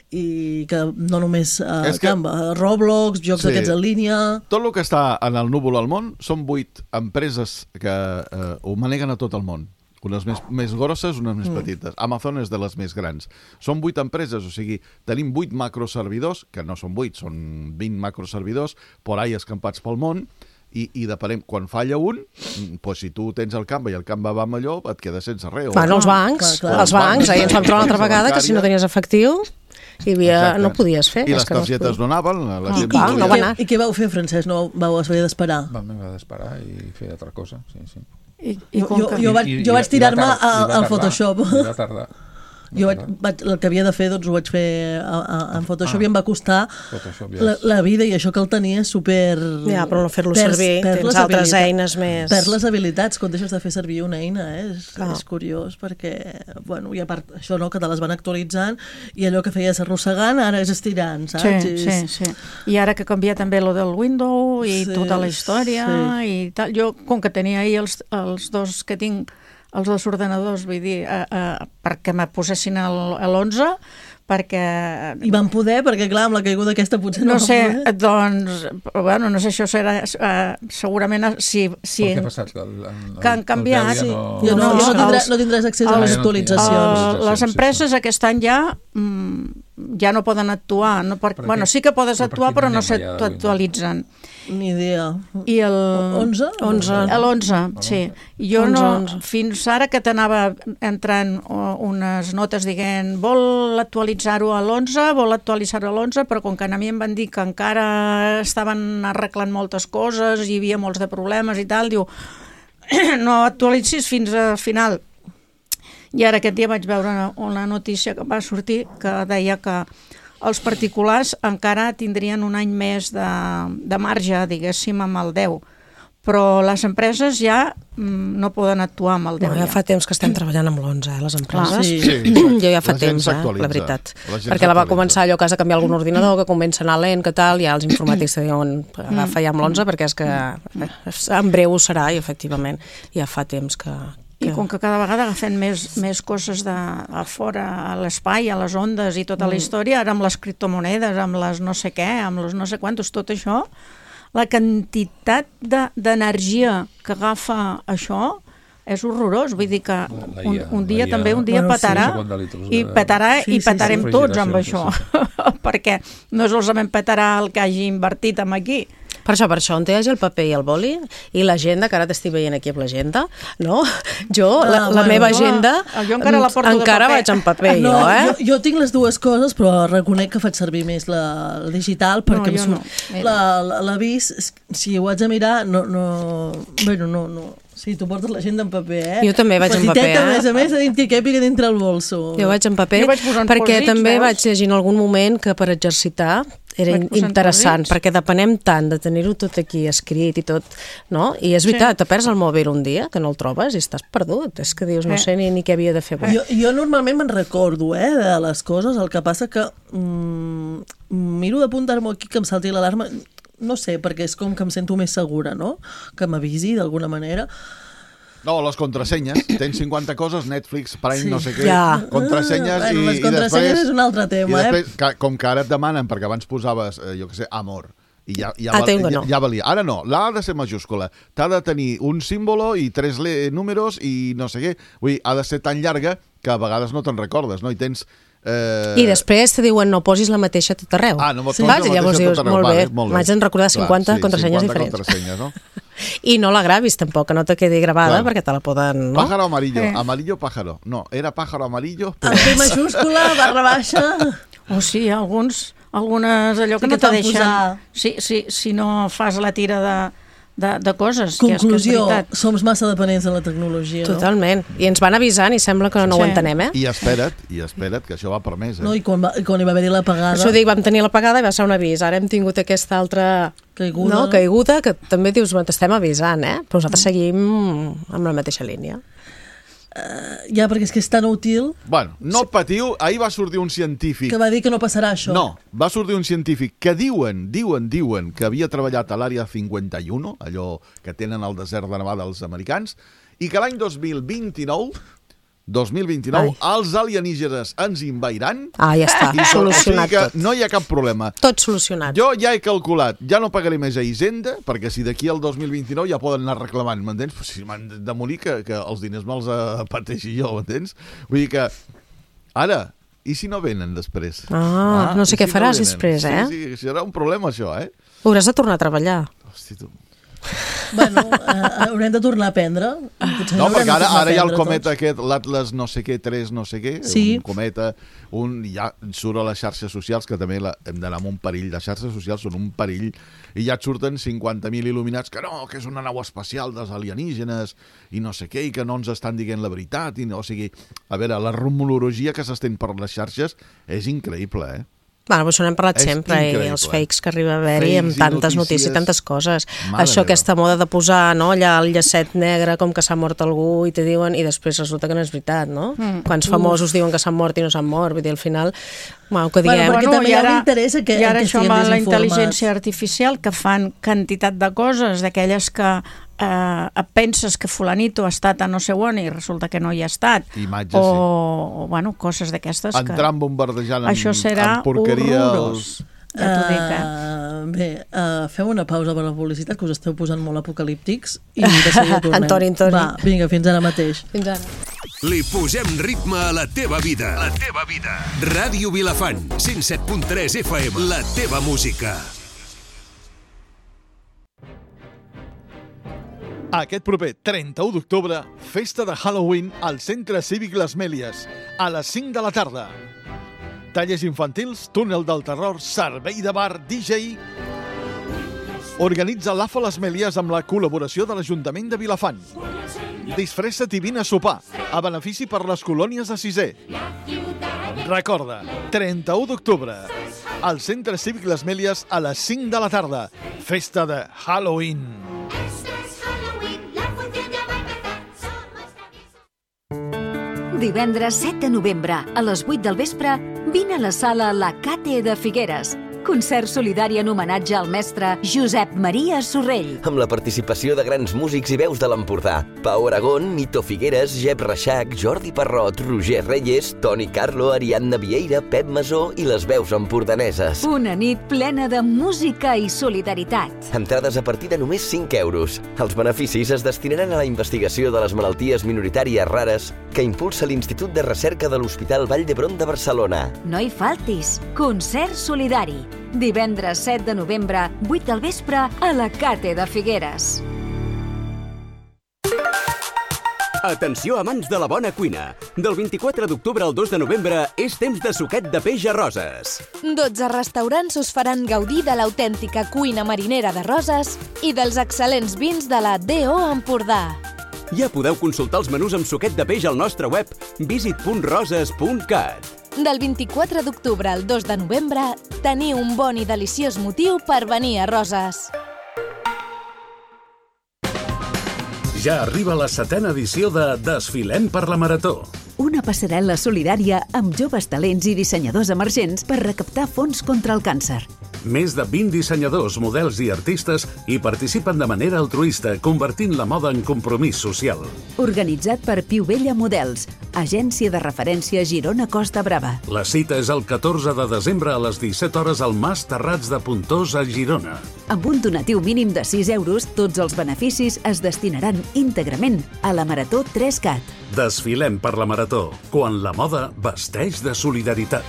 i que no només Canva, Roblox, jocs d'aquests en línia... Tot el que està en el núvol al món són 8 empreses que ho maneguen a tot el món. Unes més grosses, unes més petites. Amazon és de les més grans. Són 8 empreses, o sigui, tenim 8 macroservidors, que no són 8, són 20 macroservidors, por ahí escampats pel món, i depenem, quan falla un, doncs si tu tens el Canva i el Canva va millor, et quedes sense res. Van els bancs, ahir ens vam trobar una altra vegada que si no tenies efectiu no podies fer. I les targetes no anaven. I què vau fer, Francesc? No vau haver d'esperar? Vam haver d'esperar i fer altra cosa, sí. Jo vaig tirar-me al Photoshop. I va tardar. El que havia de fer doncs ho vaig fer en Photoshop i em va costar la vida, i això que el tenia super... Ja, però no fer-lo servir, tens altres eines més... Perds les habilitats quan deixes de fer servir una eina, és curiós, perquè, bueno, i a part això, no, que te les van actualitzant i allò que feies arrossegant ara és estirant, saps? Sí. I ara que canvia també lo del window i tota la història i tal, jo com que tenia ahir els dos que tinc, els dos ordenadors, vull dir, perquè me posessin a l'11, perquè... I van poder, perquè clar, amb la caiguda aquesta potser no sé, doncs, bueno, no sé, això serà segurament si què ha passat? Que han canviat. No tindràs accés a les actualitzacions. Les empreses aquest any ja no poden actuar. Bueno, sí que podes actuar, però no s'actualitzen. Ni idea. I el 11? L'11, sí. Jo no, fins ara que t'anava entrant unes notes dient vol actualitzar-ho a l'11, però com que a mi em van dir que encara estaven arreglant moltes coses, hi havia molts de problemes i tal, diu, no actualitzis fins al final. I ara aquest dia vaig veure una notícia que va sortir que deia que els particulars encara tindrien un any més de marge, diguéssim, amb el 10. Però les empreses ja no poden actuar amb el 10. Ja fa temps que estem treballant amb l'11, les empreses. Jo ja fa temps, la veritat. Perquè la va començar allò que has de canviar algun ordinador, que comença a anar lent, que tal, ja els informàtics te diuen agafa ja amb l'11 perquè és que en breu ho serà, i efectivament ja fa temps que... I com que cada vegada agafen més coses de fora, a l'espai, a les ondes i tota la història, ara amb les criptomonedes, amb les no sé què, amb les no sé quantos, tot això, la quantitat d'energia que agafa això és horrorós. Vull dir que un dia petarà i petarem tots amb això, perquè no solament petarà el que hagi invertit en aquí. Per això, on hi hagi el paper i el boli i l'agenda, que ara t'estic veient aquí amb l'agenda, no? Jo, la meva agenda, encara vaig en paper, jo tinc les dues coses, però reconec que faig servir més la digital, perquè em surt l'avís, si ho haig de mirar, no. Sí, tu portes l'agenda en paper, Jo també vaig en paper, a més, que quepi dintre el bolso. Jo vaig en paper, perquè també vaig llegir en algun moment que per exercitar era interessant, perquè depenem tant de tenir-ho tot aquí escrit i tot, no? I és veritat, te perds el mòbil un dia, que no el trobes i estàs perdut. És que dius, no sé ni què havia de fer. Jo normalment me'n recordo, de les coses, el que passa que miro d'apuntar-m'ho aquí, que em salti l'alarma, no sé, perquè és com que em sento més segura, no? Que m'avisi d'alguna manera. No, les contrasenyes. Tens 50 coses, Netflix, Prime, no sé què, contrasenyes i les contrasenyes després, és un altre tema, i després, com que ara et demanen, perquè abans posaves, jo què sé, amor, i ja valia. Ara no, l'A ha de ser majúscula. T'ha de tenir un símbolo i 3 números i no sé què. Vull dir, ha de ser tan llarga que a vegades no te'n recordes, no? I tens... I després te diuen no posis la mateixa a tot arreu. No posis la mateixa a tot arreu. Molt bé, m'haig de recordar 50 contrasenyes diferents. 50 contrasenyes, no? I no la gravis tampoc, que no te quedi gravada, perquè te la poden... No? Pájaro amarillo, amarillo pájaro. No, era pájaro amarillo... Però... Amb P majúscula, barra baixa... Sí, algunes allò que no te deixen... Si no fas la tira de coses. Conclusió, que és veritat. som massa dependents de la tecnologia. Totalment. I ens van avisant i sembla que no ho entenem, I espera't, que això va per més. No, i quan hi va haver-hi l'apagada... Això dic, vam tenir l'apagada i va ser un avís. Ara hem tingut aquesta altra... Caiguda, que també dius, t'estem avisant, però nosaltres seguim amb la mateixa línia. Ja, perquè és que és tan útil... Bueno, no patiu, ahir va sortir un científic... Que va dir que no passarà això. No, va sortir un científic que diuen que havia treballat a l'àrea 51, allò que tenen al desert de Nevada els americans, i que l'any 2029, els alienígenes ens invadiran... Ja està, solucionat tot. No hi ha cap problema. Tot solucionat. Jo ja he calculat, ja no pagaré més a Hisenda, perquè si d'aquí al 2029 ja poden anar reclamant, m'entens? Si m'han de morir, que els diners me'ls pateixi jo, m'entens? Vull dir que, ara, i si no venen després? No sé què faràs després, Sí, serà un problema això, Hauràs de tornar a treballar. Hosti, tu... Bueno, haurem de tornar a aprendre. No, perquè ara hi ha el cometa aquest, l'Atlas no sé què, 3 no sé què, un cometa, ja surt a les xarxes socials, que també hem d'anar amb un perill. Les xarxes socials són un perill, i ja et surten 50.000 il·luminats que no, que és una nau espacial dels alienígenes, i no sé què, i que no ens estan dient la veritat. O sigui, a veure, la rumorologia que s'estén per les xarxes és increïble, Bueno, això n'hem parlat sempre, i els fakes que arriba a haver-hi amb tantes notícies i tantes coses. Això, aquesta moda de posar allà el llacet negre com que s'ha mort algú i te diuen, i després resulta que no és veritat, no? Quants famosos diuen que s'han mort i no s'han mort, vull dir, al final, que diguem... Perquè també hi ha un interès que i ara això amb la intel·ligència artificial, que fan quantitat de coses, d'aquelles que penses que fulanito ha estat a no sé on i resulta que no hi ha estat. Imatges, o coses d'aquestes que... Entrant bombardejant això serà horrorós. Bé, fem una pausa per la publicitat, que us esteu posant molt apocalíptics, i de seguida tornem. Antoni. Va, vinga, fins ara mateix. Fins ara. Li posem ritme a la teva vida. La teva vida. Ràdio Vilafant, 107.3 FM, la teva música. Aquest proper 31 d'octubre, festa de Halloween al Centre Cívic Les Mèlies, a les 5 de la tarda. Tallers infantils, túnel del terror, servei de bar, DJ... Organitza l'AFA Les Mèlies amb la col·laboració de l'Ajuntament de Vilafant. Disfressa't i vine a sopar, a benefici per les colònies de Sisè. Recorda, 31 d'octubre, al Centre Cívic Les Mèlies a les 5 de la tarda. Festa de Halloween. Divendres 7 de novembre, a les 8 del vespre, vine a la sala La Cate de Figueres. Concert solidari en homenatge al mestre Josep Maria Sorrell. Amb la participació de grans músics i veus de l'Empordà. Pau Aragón, Nito Figueres, Jep Reixac, Jordi Parrot, Roger Reyes, Toni Carlo, Ariadna Vieira, Pep Masó i les veus empordaneses. Una nit plena de música i solidaritat. Entrades a partir de només 5 euros. Els beneficis es destinaran a la investigació de les malalties minoritàries rares que impulsa l'Institut de Recerca de l'Hospital Vall d'Hebron de Barcelona. No hi faltis. Concert solidari. Divendres 7 de novembre, 8 del vespre, a la Cate de Figueres. Atenció, amants de la bona cuina. Del 24 d'octubre al 2 de novembre és temps de suquet de peix a Roses. 12 restaurants us faran gaudir de l'autèntica cuina marinera de Roses i dels excel·lents vins de la D.O. Empordà. Ja podeu consultar els menús amb suquet de peix al nostre web visit.roses.cat. Del 24 d'octubre al 2 de novembre, teniu un bon i deliciós motiu per venir a Roses. Ja arriba la 7ª edició de Desfilem per la Marató. Una passarel·la solidària amb joves talents i dissenyadors emergents per recaptar fons contra el càncer. Més de 20 dissenyadors, models i artistes hi participen de manera altruista, convertint la moda en compromís social. Organitzat per Piu Vella Models, agència de referència Girona Costa Brava. La cita és el 14 de desembre a les 17 hores al Mas Terrats de Pontós a Girona. Amb un donatiu mínim de 6 euros, tots els beneficis es destinaran íntegrament a la Marató 3CAT. Desfilem per la Marató, quan la moda vesteix de solidaritat.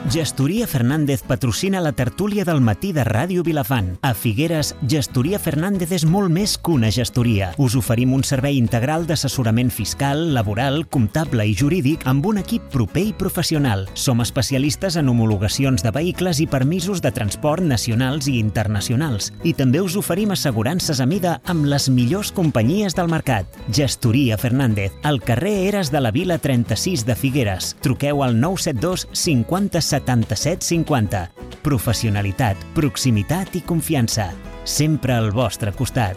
Gestoria Fernández patrocina la tertúlia del matí de Ràdio Vilafant. A Figueres, Gestoria Fernández és molt més que una gestoria. Us oferim un servei integral d'assessorament fiscal, laboral, comptable i jurídic amb un equip proper i professional. Som especialistes en homologacions de vehicles i permisos de transport nacionals i internacionals. I també us oferim assegurances a mida amb les millors companyies del mercat. Gestoria Fernández, al carrer Eres de la Vila 36 de Figueres. Truqueu al 972 50 77 50. Professionalitat, proximitat i confiança. Sempre al vostre costat.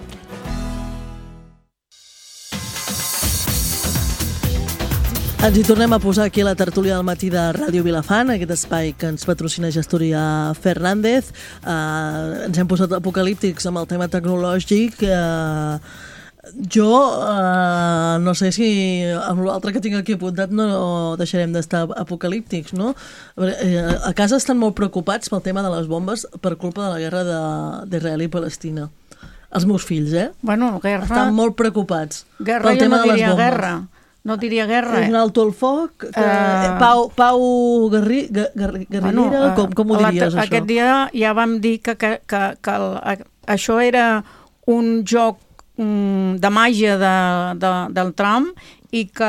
Ens hi tornem a posar aquí a la tertúlia del matí de Ràdio Vilafant, aquest espai que ens patrocina Gestoria Fernández. Ens hem posat apocalíptics amb el tema tecnològic. Jo no sé si amb l'altre que tinc aquí apuntat no deixarem d'estar apocalíptics, no? A casa estan molt preocupats pel tema de les bombes per culpa de la guerra d'Israel i Palestina. Els meus fills, Bueno, guerra... Estan molt preocupats pel tema de les bombes. Guerra. No diria guerra. És un alto el foc? Pau guerrillera? Com ho diries, això? Aquest dia ja vam dir que això era un joc de màgia del Trump i que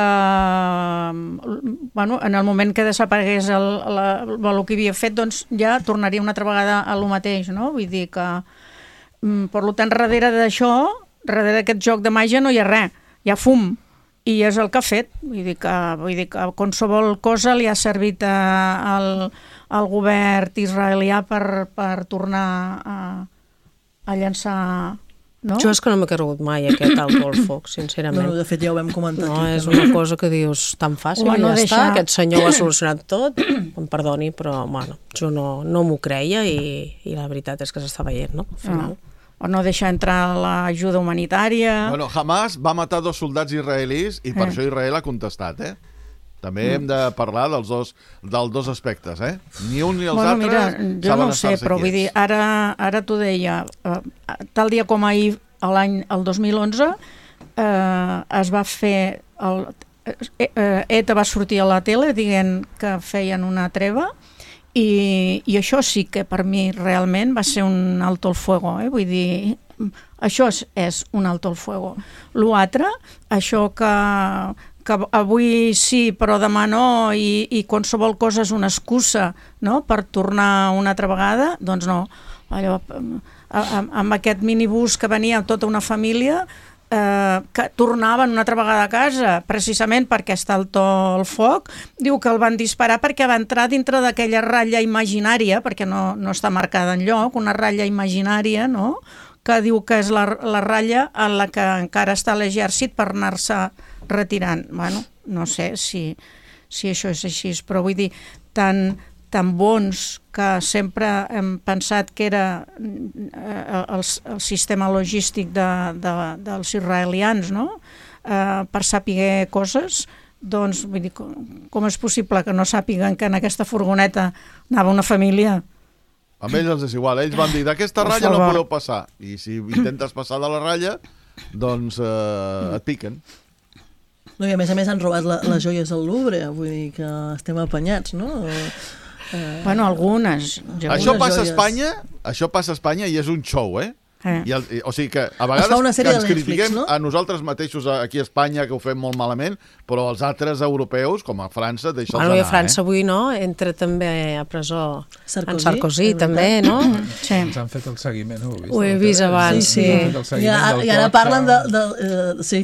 en el moment que desaparegués el que havia fet, doncs ja tornaria una altra vegada a lo mateix, no? Vull dir que per tant, darrere d'això, darrere d'aquest joc de màgia no hi ha res, hi ha fum, i és el que ha fet. Vull dir que qualsevol cosa li ha servit al govern israelià per tornar a llançar... No? Jo és que no m'he cregut mai aquest alto al foc, sincerament. No, de fet ja ho vam comentar aquí. No, és una cosa que dius tan fàcil, ja està, aquest senyor ho ha solucionat tot, em perdoni, però bueno, jo no m'ho creia i la veritat és que s'està veient, no? Al final. O no deixar entrar l'ajuda humanitària... Bueno, Hamas va matar 2 soldats israelis i per això Israel ha contestat, També hem de parlar dels dos aspectes, Ni un ni els altres mira, jo no ho sé, però vull dir, ara t'ho deia, tal dia com ahir, el 2011, es va fer... ETA va sortir a la tele dient que feien una treva i això sí que per mi realment va ser un alto el fuego, vull dir... Això és un alto el fuego. L'altre, això que avui sí però demà no i qualsevol cosa és una excusa, no?, per tornar una altra vegada, doncs no. Allò, amb aquest minibús que venia tota una família que tornaven una altra vegada a casa precisament perquè està el foc, diu que el van disparar perquè va entrar dintre d'aquella ratlla imaginària, perquè no està marcada enlloc, una ratlla imaginària, no?, que diu que és la ratlla en la que encara està l'exèrcit per anar-se retirant. Bueno, no sé si això és així, però vull dir, tan bons que sempre hem pensat que era el sistema logístic dels israelians, no?, per saber coses, doncs vull dir, com és possible que no sàpiguen que en aquesta furgoneta anava una família? Amb ells els és igual, ells van dir d'aquesta ratlla no podeu passar, i si intentes passar de la ratlla doncs et piquen. No, i a més han robat les joies al Louvre, vull dir que estem apanyats, no? Bueno, algunes. Això passa a Espanya i és un show, o sigui que a vegades que ens critiquem a nosaltres mateixos aquí a Espanya, que ho fem molt malament, però els altres europeus, com a França, deixa'ls anar. I a França avui entra també a presó en Sarkozy també, no? Sí. Ens han fet el seguiment, ho he vist abans, sí. I ara parlen de... Sí.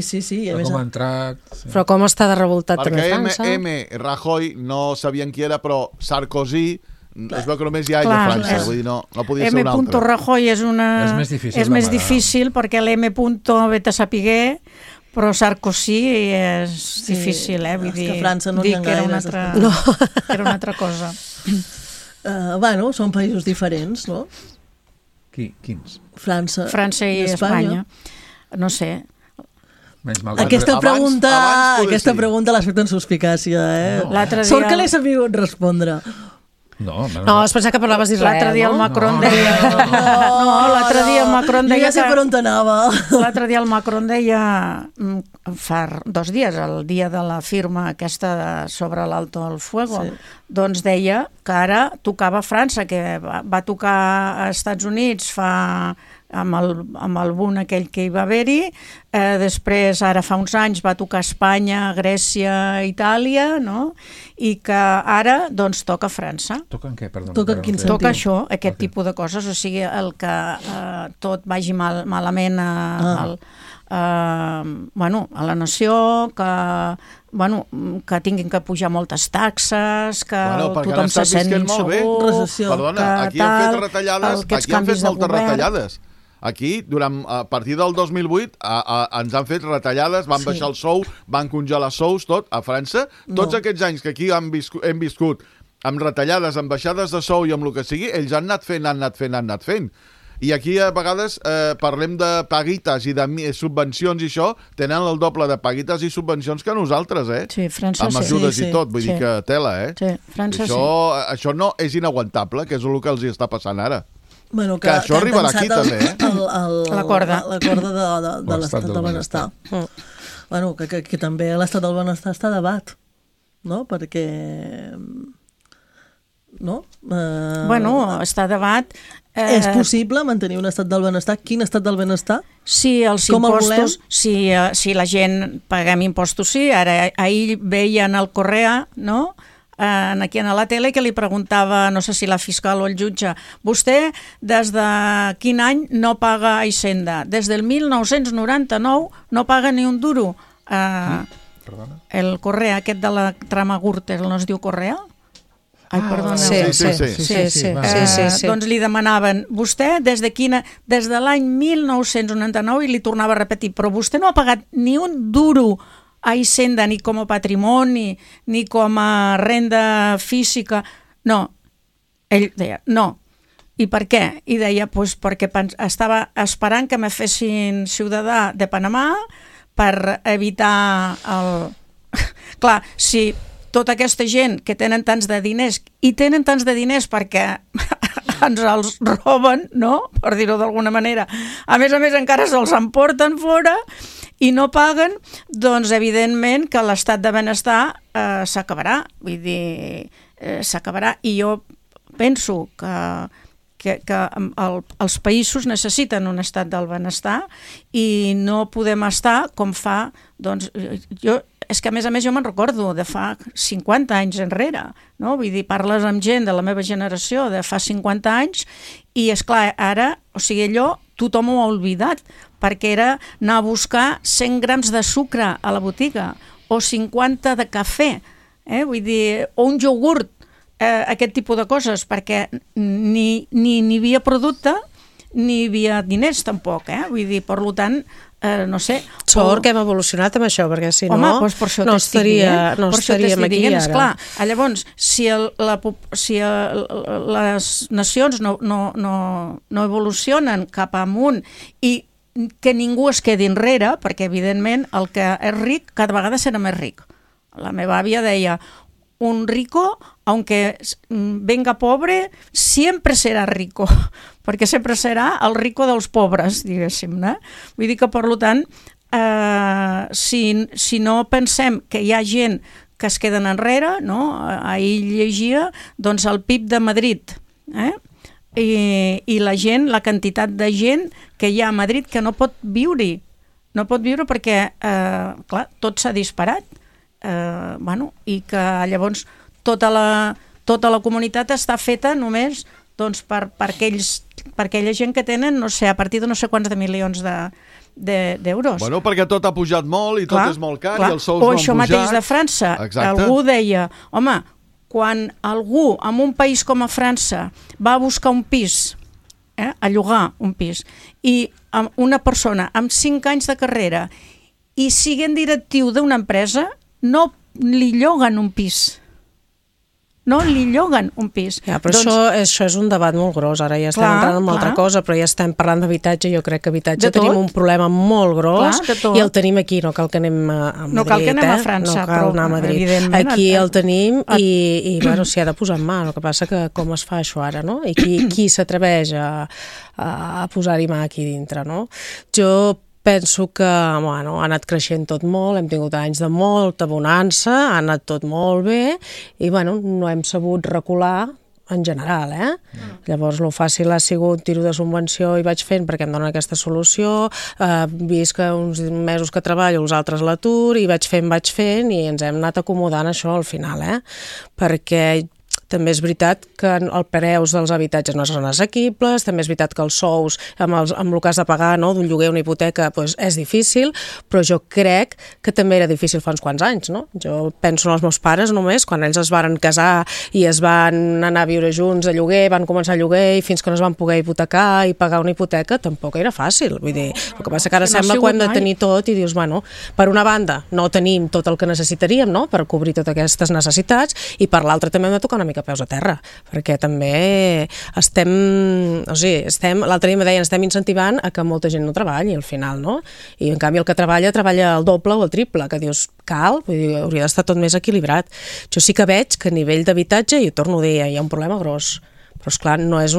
Com ha entrat... Però com està de revoltat també França? Perquè Rajoy no sabien qui era, però Sarkozy... Es veu que només hi ha a França, vull dir, no podia ser un altre. M. Rajoy és més difícil perquè l'M. Vete a sapiguer, però Sarkozy és difícil, vull dir, que França no n'hi ha gaire. Era una altra cosa. Bueno, són països diferents, no? Quins? França i Espanya. No sé. Aquesta pregunta l'has fet en suspicàcia, eh? Sort que l'he sabut respondre. No, es pensava que parlaves d'Israel. L'altre dia el Macron deia... No, l'altre dia el Macron deia... Jo ja sé per on t'anava. L'altre dia el Macron deia, fa 2 dies, el dia de la firma aquesta sobre l'Alto al Fuego, doncs deia que ara tocava França, que va tocar a Estats Units amb el boom aquell que hi va haver-hi, després ara fa uns anys va tocar Espanya, Grècia, Itàlia, no? I que ara doncs toca França. Toca en què, perdó? Toca això, aquest tipus de coses, o sigui, el que tot vagi malament a la nació, que tinguin que pujar moltes taxes, que tothom se sent insegur, perdona, aquí han fet retallades, aquí han fet moltes retallades. Aquí, a partir del 2008, ens han fet retallades, van baixar el sou, van congelar sous, tot, a França. Tots aquests anys que aquí hem viscut amb retallades, amb baixades de sou i amb el que sigui, ells han anat fent. I aquí a vegades parlem de paguites i de subvencions i això, tenen el doble de paguites i subvencions que nosaltres, eh? Sí, França amb ajudes i tot, vull dir que tela, eh? Sí, França això no és inaguantable, que és el que els hi està passant ara. Bueno, que això arribarà aquí també, eh? La corda de l'estat del benestar. Bueno, que també l'estat del benestar està a debat, no? Perquè... No? Bueno, està a debat... És possible mantenir un estat del benestar? Quin estat del benestar? Sí, els impostos, si la gent paguem impostos, sí. Ara, ahir veien el Correa, no?, aquí a la tele, que li preguntava, no sé si la fiscal o el jutge, vostè des de quin any no paga Hisenda? Des del 1999 no paga ni un duro. El Correa, aquest de la trama Gürtel, no es diu Correa? Ai, perdona. Sí. Doncs li demanaven, vostè des de l'any 1999, i li tornava a repetir, però vostè no ha pagat ni un duro a Hisenda, ni com a patrimoni, ni com a renda física. No. Ell deia, no. I per què? I deia, doncs perquè estava esperant que me fessin ciutadà de Panamà per evitar el... Clar, si tota aquesta gent que tenen tants de diners, i tenen tants de diners perquè ens els roben, no?, per dir-ho d'alguna manera, a més encara se'ls emporten fora i no paguen, doncs evidentment que l'estat de benestar s'acabarà, vull dir, s'acabarà, i jo penso que els països necessiten un estat del benestar i no podem estar com fa, doncs, és que a més jo me'n recordo de fa 50 anys enrere, no? Vull dir, parles amb gent de la meva generació de fa 50 anys i, esclar, ara, o sigui, allò tothom ho ha oblidat, perquè era anar a buscar 100 grams de sucre a la botiga o 50 de cafè, vull dir, o un iogurt, aquest tipus de coses, perquè ni hi havia producte ni hi havia diners tampoc, vull dir, per tant, no sé... Sort que hem evolucionat amb això, perquè si no, doncs per això no estaríem aquí ara. Esclar, llavors, si les nacions no evolucionen cap amunt i que ningú es quedi enrere, perquè evidentment el que és ric cada vegada serà més ric. La meva àvia deia, un rico, aunque venga pobre, siempre será rico, perquè sempre serà el rico dels pobres, diguéssim, no? Vull dir que, per tant, si no pensem que hi ha gent que es queden enrere, no? Ahir llegia, doncs, el PIB de Madrid, i la gent, la quantitat de gent que hi ha a Madrid que no pot viure perquè, clar, tot s'ha disparat. I que llavors tota la comunitat està feta només doncs, per aquella gent que tenen, no sé, a partir de no sé quants de milions d'euros. Bueno, perquè tot ha pujat molt i tot és molt car i els sous no han pujat. O això mateix de França. Exacte. Algú deia, home, quan algú en un país com a França va a buscar un pis, a llogar un pis, i una persona amb 5 anys de carrera i siguent directiu d'una empresa, no li lloguen un pis. no li lloguen un pis. Ja, però això és un debat molt gros, ara ja estem entrant en altra cosa, però ja estem parlant d'habitatge, jo crec que habitatge tenim un problema molt gros i el tenim aquí, no cal que anem a Madrid, no cal que anem a França, no cal anar a Madrid. Aquí el tenim i bueno, s'hi ha de posar en mà, el que passa que com es fa això ara, no? I qui s'atreveix a posar-hi mà aquí dintre, no? Jo penso que bueno, ha anat creixent tot molt, hem tingut anys de molta bonança, ha anat tot molt bé i bueno, no hem sabut recular en general, Llavors, el fàcil ha sigut tiro de subvenció i vaig fent perquè em donen aquesta solució, visc uns mesos que treballo, els altres l'atur, i vaig fent, i ens hem anat acomodant això al final, perquè també és veritat que els preus dels habitatges no són assequibles, també és veritat que els sous, amb el que has de pagar d'un lloguer o una hipoteca, és difícil, però jo crec que també era difícil fa uns quants anys, no? Jo penso en els meus pares només, quan ells es van casar i es van anar a viure junts a lloguer, van començar a lloguer i fins que no es van poder hipotecar i pagar una hipoteca, tampoc era fàcil. Vull dir, el que passa que ara sembla que ho hem de tenir tot i dius, bueno, per una banda no tenim tot el que necessitaríem, no?, per cobrir totes aquestes necessitats, i per l'altra també hem de tocar una mica peus a terra, perquè també l'altre dia me deien, estem incentivant a que molta gent no treballi al final, no? I en canvi el que treballa el doble o el triple, que dius, cal, vull dir, hauria d'estar tot més equilibrat. Jo sí que veig que a nivell d'habitatge, i ho torno a dir, hi ha un problema gros. Però, esclar, no és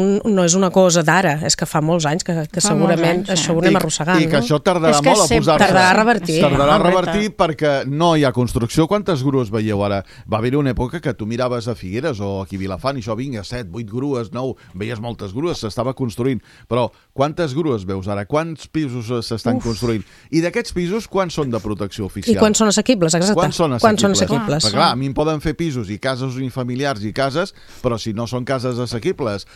una cosa d'ara, és que fa molts anys que segurament això ho anem arrossegant. I que això tardarà molt a posar-se. Tardarà a revertir. Tardarà a revertir perquè no hi ha construcció. Quantes grues veieu ara? Va haver-hi una època que tu miraves a Figueres o aquí a Vilafant i això vinga, 7, 8 grues, 9, veies moltes grues, s'estava construint. Però quantes grues veus ara? Quants pisos s'estan construint? I d'aquests pisos, quants són de protecció oficial? I quants són assequibles, exacte. Quants són assequibles? Perquè, clar, a mi em poden fer pisos i cases unifamiliars i cases, però si no són cases assequibles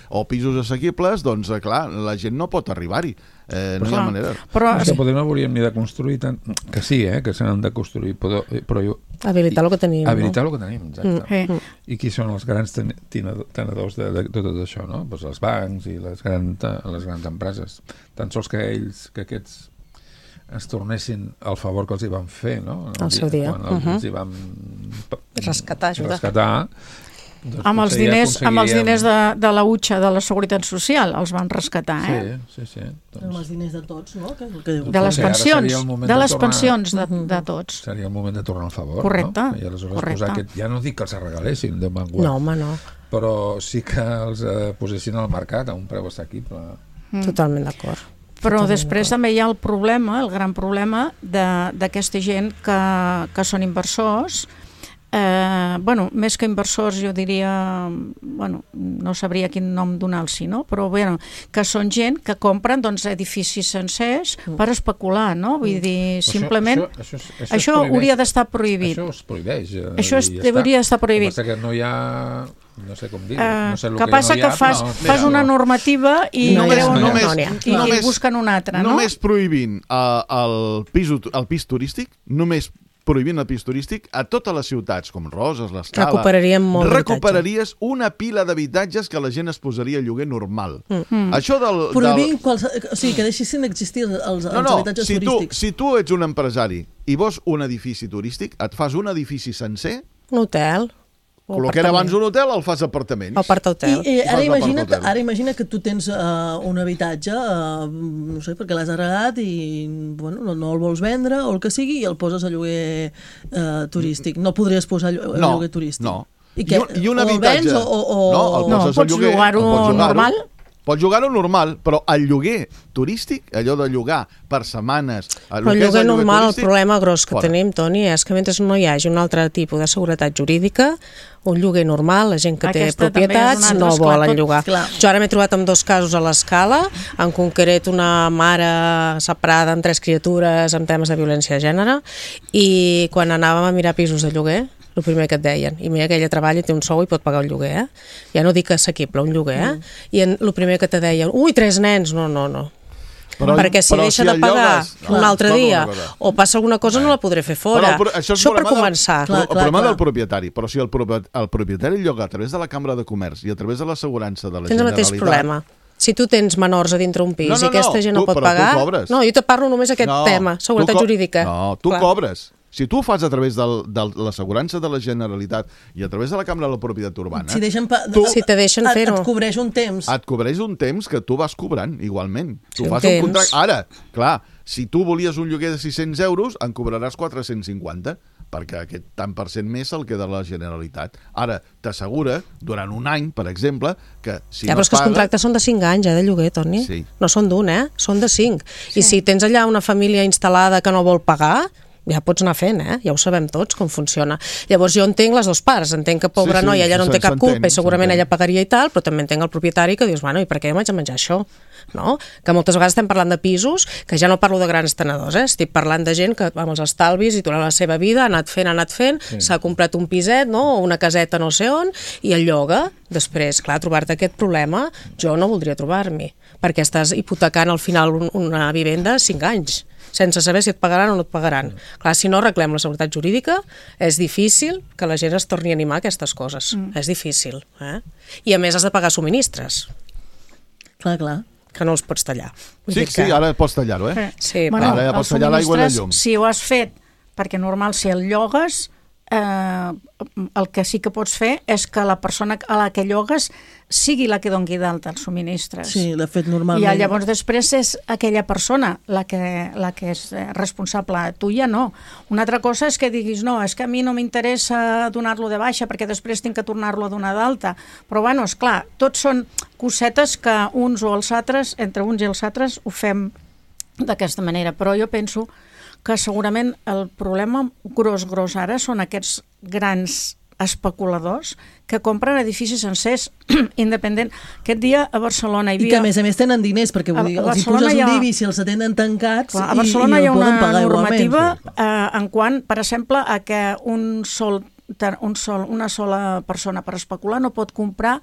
o pisos assequibles, doncs, clar, la gent no pot arribar-hi. No hi ha manera. Però potser no hauríem ni de construir tant... Que sí, que se n'han de construir, però habilitar el que tenim. Habilitar el que tenim, exacte. I qui són els grans tenedors de tot això, no? Doncs els bancs i les grans empreses. Tan sols que aquests ens tornessin el favor que els hi van fer, no? Al seu dia. Quan els hi van rescatar, doncs amb els diners de la utxa de la Seguretat Social els van rescatar, Sí. Amb els diners de tots, no? De les pensions de tots. Seria el moment de tornar al favor, correcte, no? I aleshores posar aquest... Ja no dic que els regalessin de manguat. No, home, no. Però sí que els posessin al mercat a un preu assequible. Totalment d'acord. Però després també hi ha el gran problema d'aquesta gent que són inversors. Més que inversors jo diria, no sabria quin nom donar-los, no? Però que són gent que compren edificis sencers per especular, no? Vull dir, simplement això hauria d'estar prohibit. Això es prohibeix. Això hauria d'estar prohibit. El que passa que no hi ha... No sé com dir, no sé el que passa que fas una normativa i busquen una altra, no? Només prohibint el pis turístic, només prohibint el pis turístic a totes les ciutats, com Roses, l'Escala, recuperaries una pila d'habitatges que la gent es posaria a lloguer normal. Això prohibint, o sigui, que deixessin d'existir els habitatges turístics. Si tu ets un empresari i vols un edifici turístic, et fas un edifici sencer... Un hotel... El que era abans un hotel el fas apartaments. El part hotel. I ara imagina que tu tens un habitatge, no sé, perquè l'has heredat i no el vols vendre o el que sigui i el poses a lloguer turístic. No podries posar a lloguer turístic. No. I un habitatge... No, pots llogar-ho normal? Pots llogar-ho normal, però el lloguer turístic, allò de llogar per setmanes... Però el lloguer normal, el problema gros que tenim, Toni, és que mentre no hi hagi un altre tipus de seguretat jurídica, un lloguer normal, la gent que té propietats no volen llogar. Jo ara m'he trobat amb 2 casos a l'Escala, en concret una mare separada amb 3 criatures amb temes de violència de gènere, i quan anàvem a mirar pisos de lloguer, el primer que et deien, i mira que ella treballa i té un sou i pot pagar un lloguer, ja no dic assequible, un lloguer, i el primer que te deien, 3 nens, no. Perquè si deixa de pagar un altre dia o passa alguna cosa no la podré fer fora. Això per començar. El problema del propietari, però si el propietari lloga a través de la Cambra de Comerç i a través de l'assegurança de la Generalitat... Tens el mateix problema. Si tu tens menors a dintre un pis i aquesta gent no pot pagar... No, jo te parlo només aquest tema, seguretat jurídica. No, tu cobres. Si tu ho fas a través de l'assegurança de la Generalitat i a través de la Cambra de la Propietat Urbana... Si te deixen fer-ho. Et cobreix un temps. Et cobreix un temps que tu vas cobrant, igualment. Tu fas un contracte... Ara, clar, si tu volies un lloguer de 600 euros, en cobraràs 450, perquè aquest tant per cent més el queda a la Generalitat. Ara, t'assegura, durant un any, per exemple, que si no però és que els contractes són de 5 anys, de lloguer, Toni. Sí. No són d'un, són de 5. Sí. I si tens allà una família instal·lada que no vol pagar, ja pots anar fent, ja ho sabem tots com funciona. Llavors jo entenc les dues parts, entenc que pobra noia ella no en té cap culpa i segurament ella pagaria i tal, però també entenc el propietari que dius, bueno, i per què m'haig de menjar això? No? Que moltes vegades estem parlant de pisos, que ja no parlo de grans tenedors, estic parlant de gent que amb els estalvis i durant la seva vida ha anat fent, s'ha comprat un piset, no? O una caseta no sé on, i el lloga. Després, clar, trobar-te aquest problema, jo no voldria trobar-m'hi, perquè estàs hipotecant al final una vivenda 5 anys, sense saber si et pagaran o no et pagaran. Clar, si no arreglem la seguretat jurídica, és difícil que la gent es torni a animar a aquestes coses. És difícil. I a més has de pagar subministres. Clar. Que no els pots tallar. Sí, ara pots tallar-ho, Sí, ara ja pots tallar l'aigua i la llum. Si ho has fet, perquè normal, si el llogues, el que sí que pots fer és que la persona a la que llogues sigui la que doni d'alta els subministres. Sí, de fet, normalment. I llavors després és aquella persona la que és responsable. Tu ja no. Una altra cosa és que diguis, no, és que a mi no m'interessa donar-lo de baixa perquè després tinc que tornar-lo a donar d'alta. Però, bueno, esclar, tots són cosetes que uns o els altres, entre uns i els altres, ho fem d'aquesta manera. Però jo penso que segurament el problema gros ara són aquests grans especuladors que compren edificis sencers independent. Aquest dia a Barcelona hi havia... I que a més tenen diners, perquè vull dir, els hi poses un IBI si els atenen tancats a Barcelona hi ha una normativa en quant, per exemple, a que una sola persona per especular no pot comprar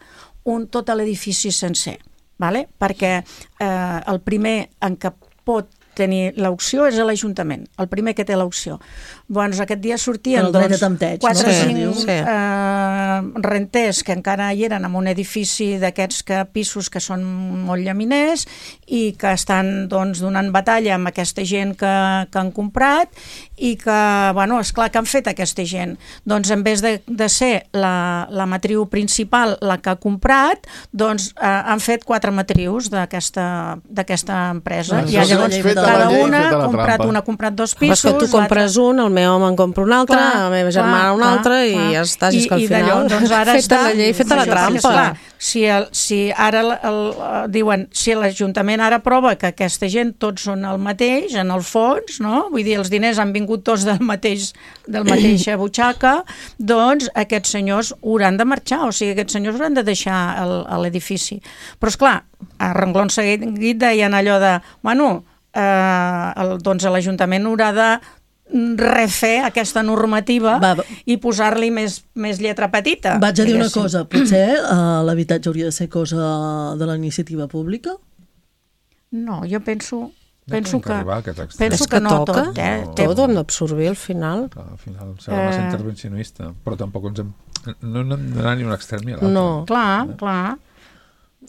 tot l'edifici sencer, perquè el primer en què pot tenir l'opció és l'Ajuntament, el primer que té l'opció. Doncs aquest dia sortien 4 o 5 renters que encara hi eren en un edifici d'aquests pisos que són molt llaminers i que estan donant batalla amb aquesta gent que han comprat i que, bueno, esclar, que han fet aquesta gent? Doncs en vez de ser la matriu principal la que ha comprat, doncs han fet 4 matrius d'aquesta empresa. I llavors cada una ha comprat 2 pisos. Però que tu compres un, el meu home en compra un altre, la meva germana un altre i ja estàs, és que al final feta la llei, feta la trampa. Si ara diuen, si l'Ajuntament ara prova que aquesta gent tots són el mateix, en el fons, no? Vull dir, els diners han vingut tots del mateixa butxaca, doncs aquests senyors hauran de marxar, o sigui, aquests senyors hauran de deixar l'edifici. Però, esclar, a renglon seguit deien allò de, bueno, doncs l'Ajuntament haurà de refer aquesta normativa i posar-li més lletra petita. Vaig a dir una cosa, potser l'habitatge hauria de ser cosa de la iniciativa pública? No, jo penso que no tot. Tot ho hem d'absorbir al final. Al final serà massa intervencionista, però tampoc no hem d'anar ni un extrem ni a l'altre. No, clar.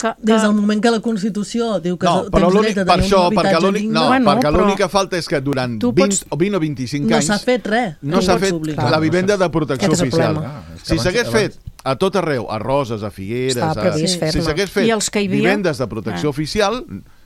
Des del moment que la Constitució diu que tens dret a tenir un habitatge digne... No, perquè l'única falta és que durant 20 o 25 anys... No s'ha fet res. No s'ha fet la vivenda de protecció oficial. Si s'hagués fet a tot arreu, a Roses, a Figueres... Si s'hagués fet vivendes de protecció oficial...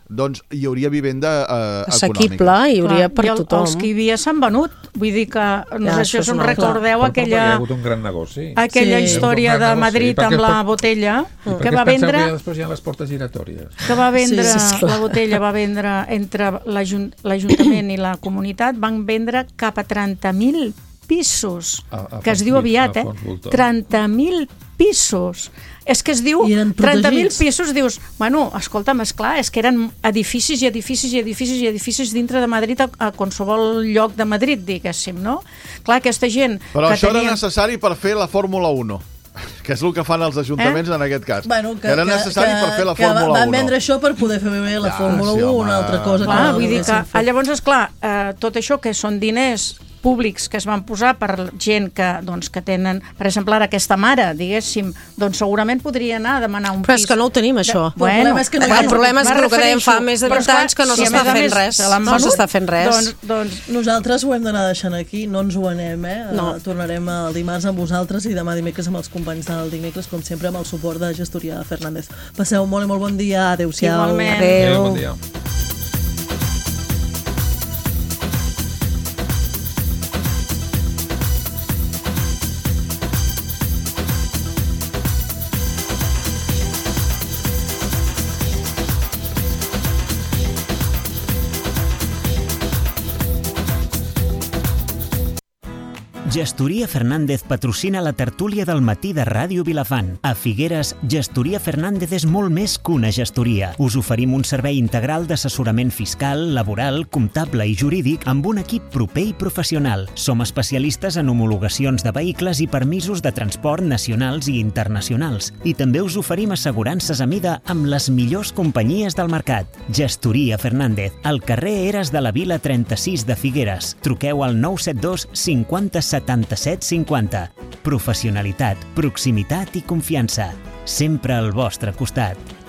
doncs hi hauria vivenda econòmica. Assequible, hi hauria per tothom. Els que hi havia s'han venut. Vull dir que, no sé si us en recordeu aquella... Hi ha hagut un gran negoci. Aquella història de Madrid amb la botella, que va vendre... I després hi ha les portes giratòries. Que va vendre, la botella va vendre entre l'Ajuntament i la comunitat, van vendre cap a 30.000 pisos, que es diu aviat, 30.000 pisos. És que es diu 30.000 pisos, dius, bueno, escolta'm, esclar, és que eren edificis i edificis i edificis i edificis dintre de Madrid, a qualsevol lloc de Madrid, diguéssim, no? Clar, aquesta gent... Però això era necessari per fer la Fórmula 1. Que és el que fan els ajuntaments en aquest cas. Que era necessari per fer la Fórmula 1. Que van vendre això per poder fer bé la Fórmula 1, una altra cosa. Vull dir que, llavors, esclar, tot això que són diners públics que es van posar per gent que tenen, per exemple, ara aquesta mare, diguéssim, doncs segurament podria anar a demanar un pis. Però és que no ho tenim, això. Bueno, el problema és que el que dèiem fa més de 20 anys que no s'està fent res. No s'està fent res. Doncs nosaltres ho hem d'anar deixant aquí, no ens ho anem, Tornarem el dimarts amb vosaltres i demà dimecres amb els companys del dimecres, com sempre, amb el suport de Gestoria Fernández. Passeu molt i molt bon dia. Adéu-siau. Igualment. Adéu. Bon dia. Gestoria Fernández patrocina la tertúlia del matí de Ràdio Vilafant. A Figueres, Gestoria Fernández és molt més que una gestoria. Us oferim un servei integral d'assessorament fiscal, laboral, comptable i jurídic amb un equip proper i professional. Som especialistes en homologacions de vehicles i permisos de transport nacionals i internacionals. I també us oferim assegurances a mida amb les millors companyies del mercat. Gestoria Fernández, al carrer Eres de la Vila 36 de Figueres. Truqueu al 972 50 77 50. Professionalitat, proximitat i confiança. Sempre al vostre costat.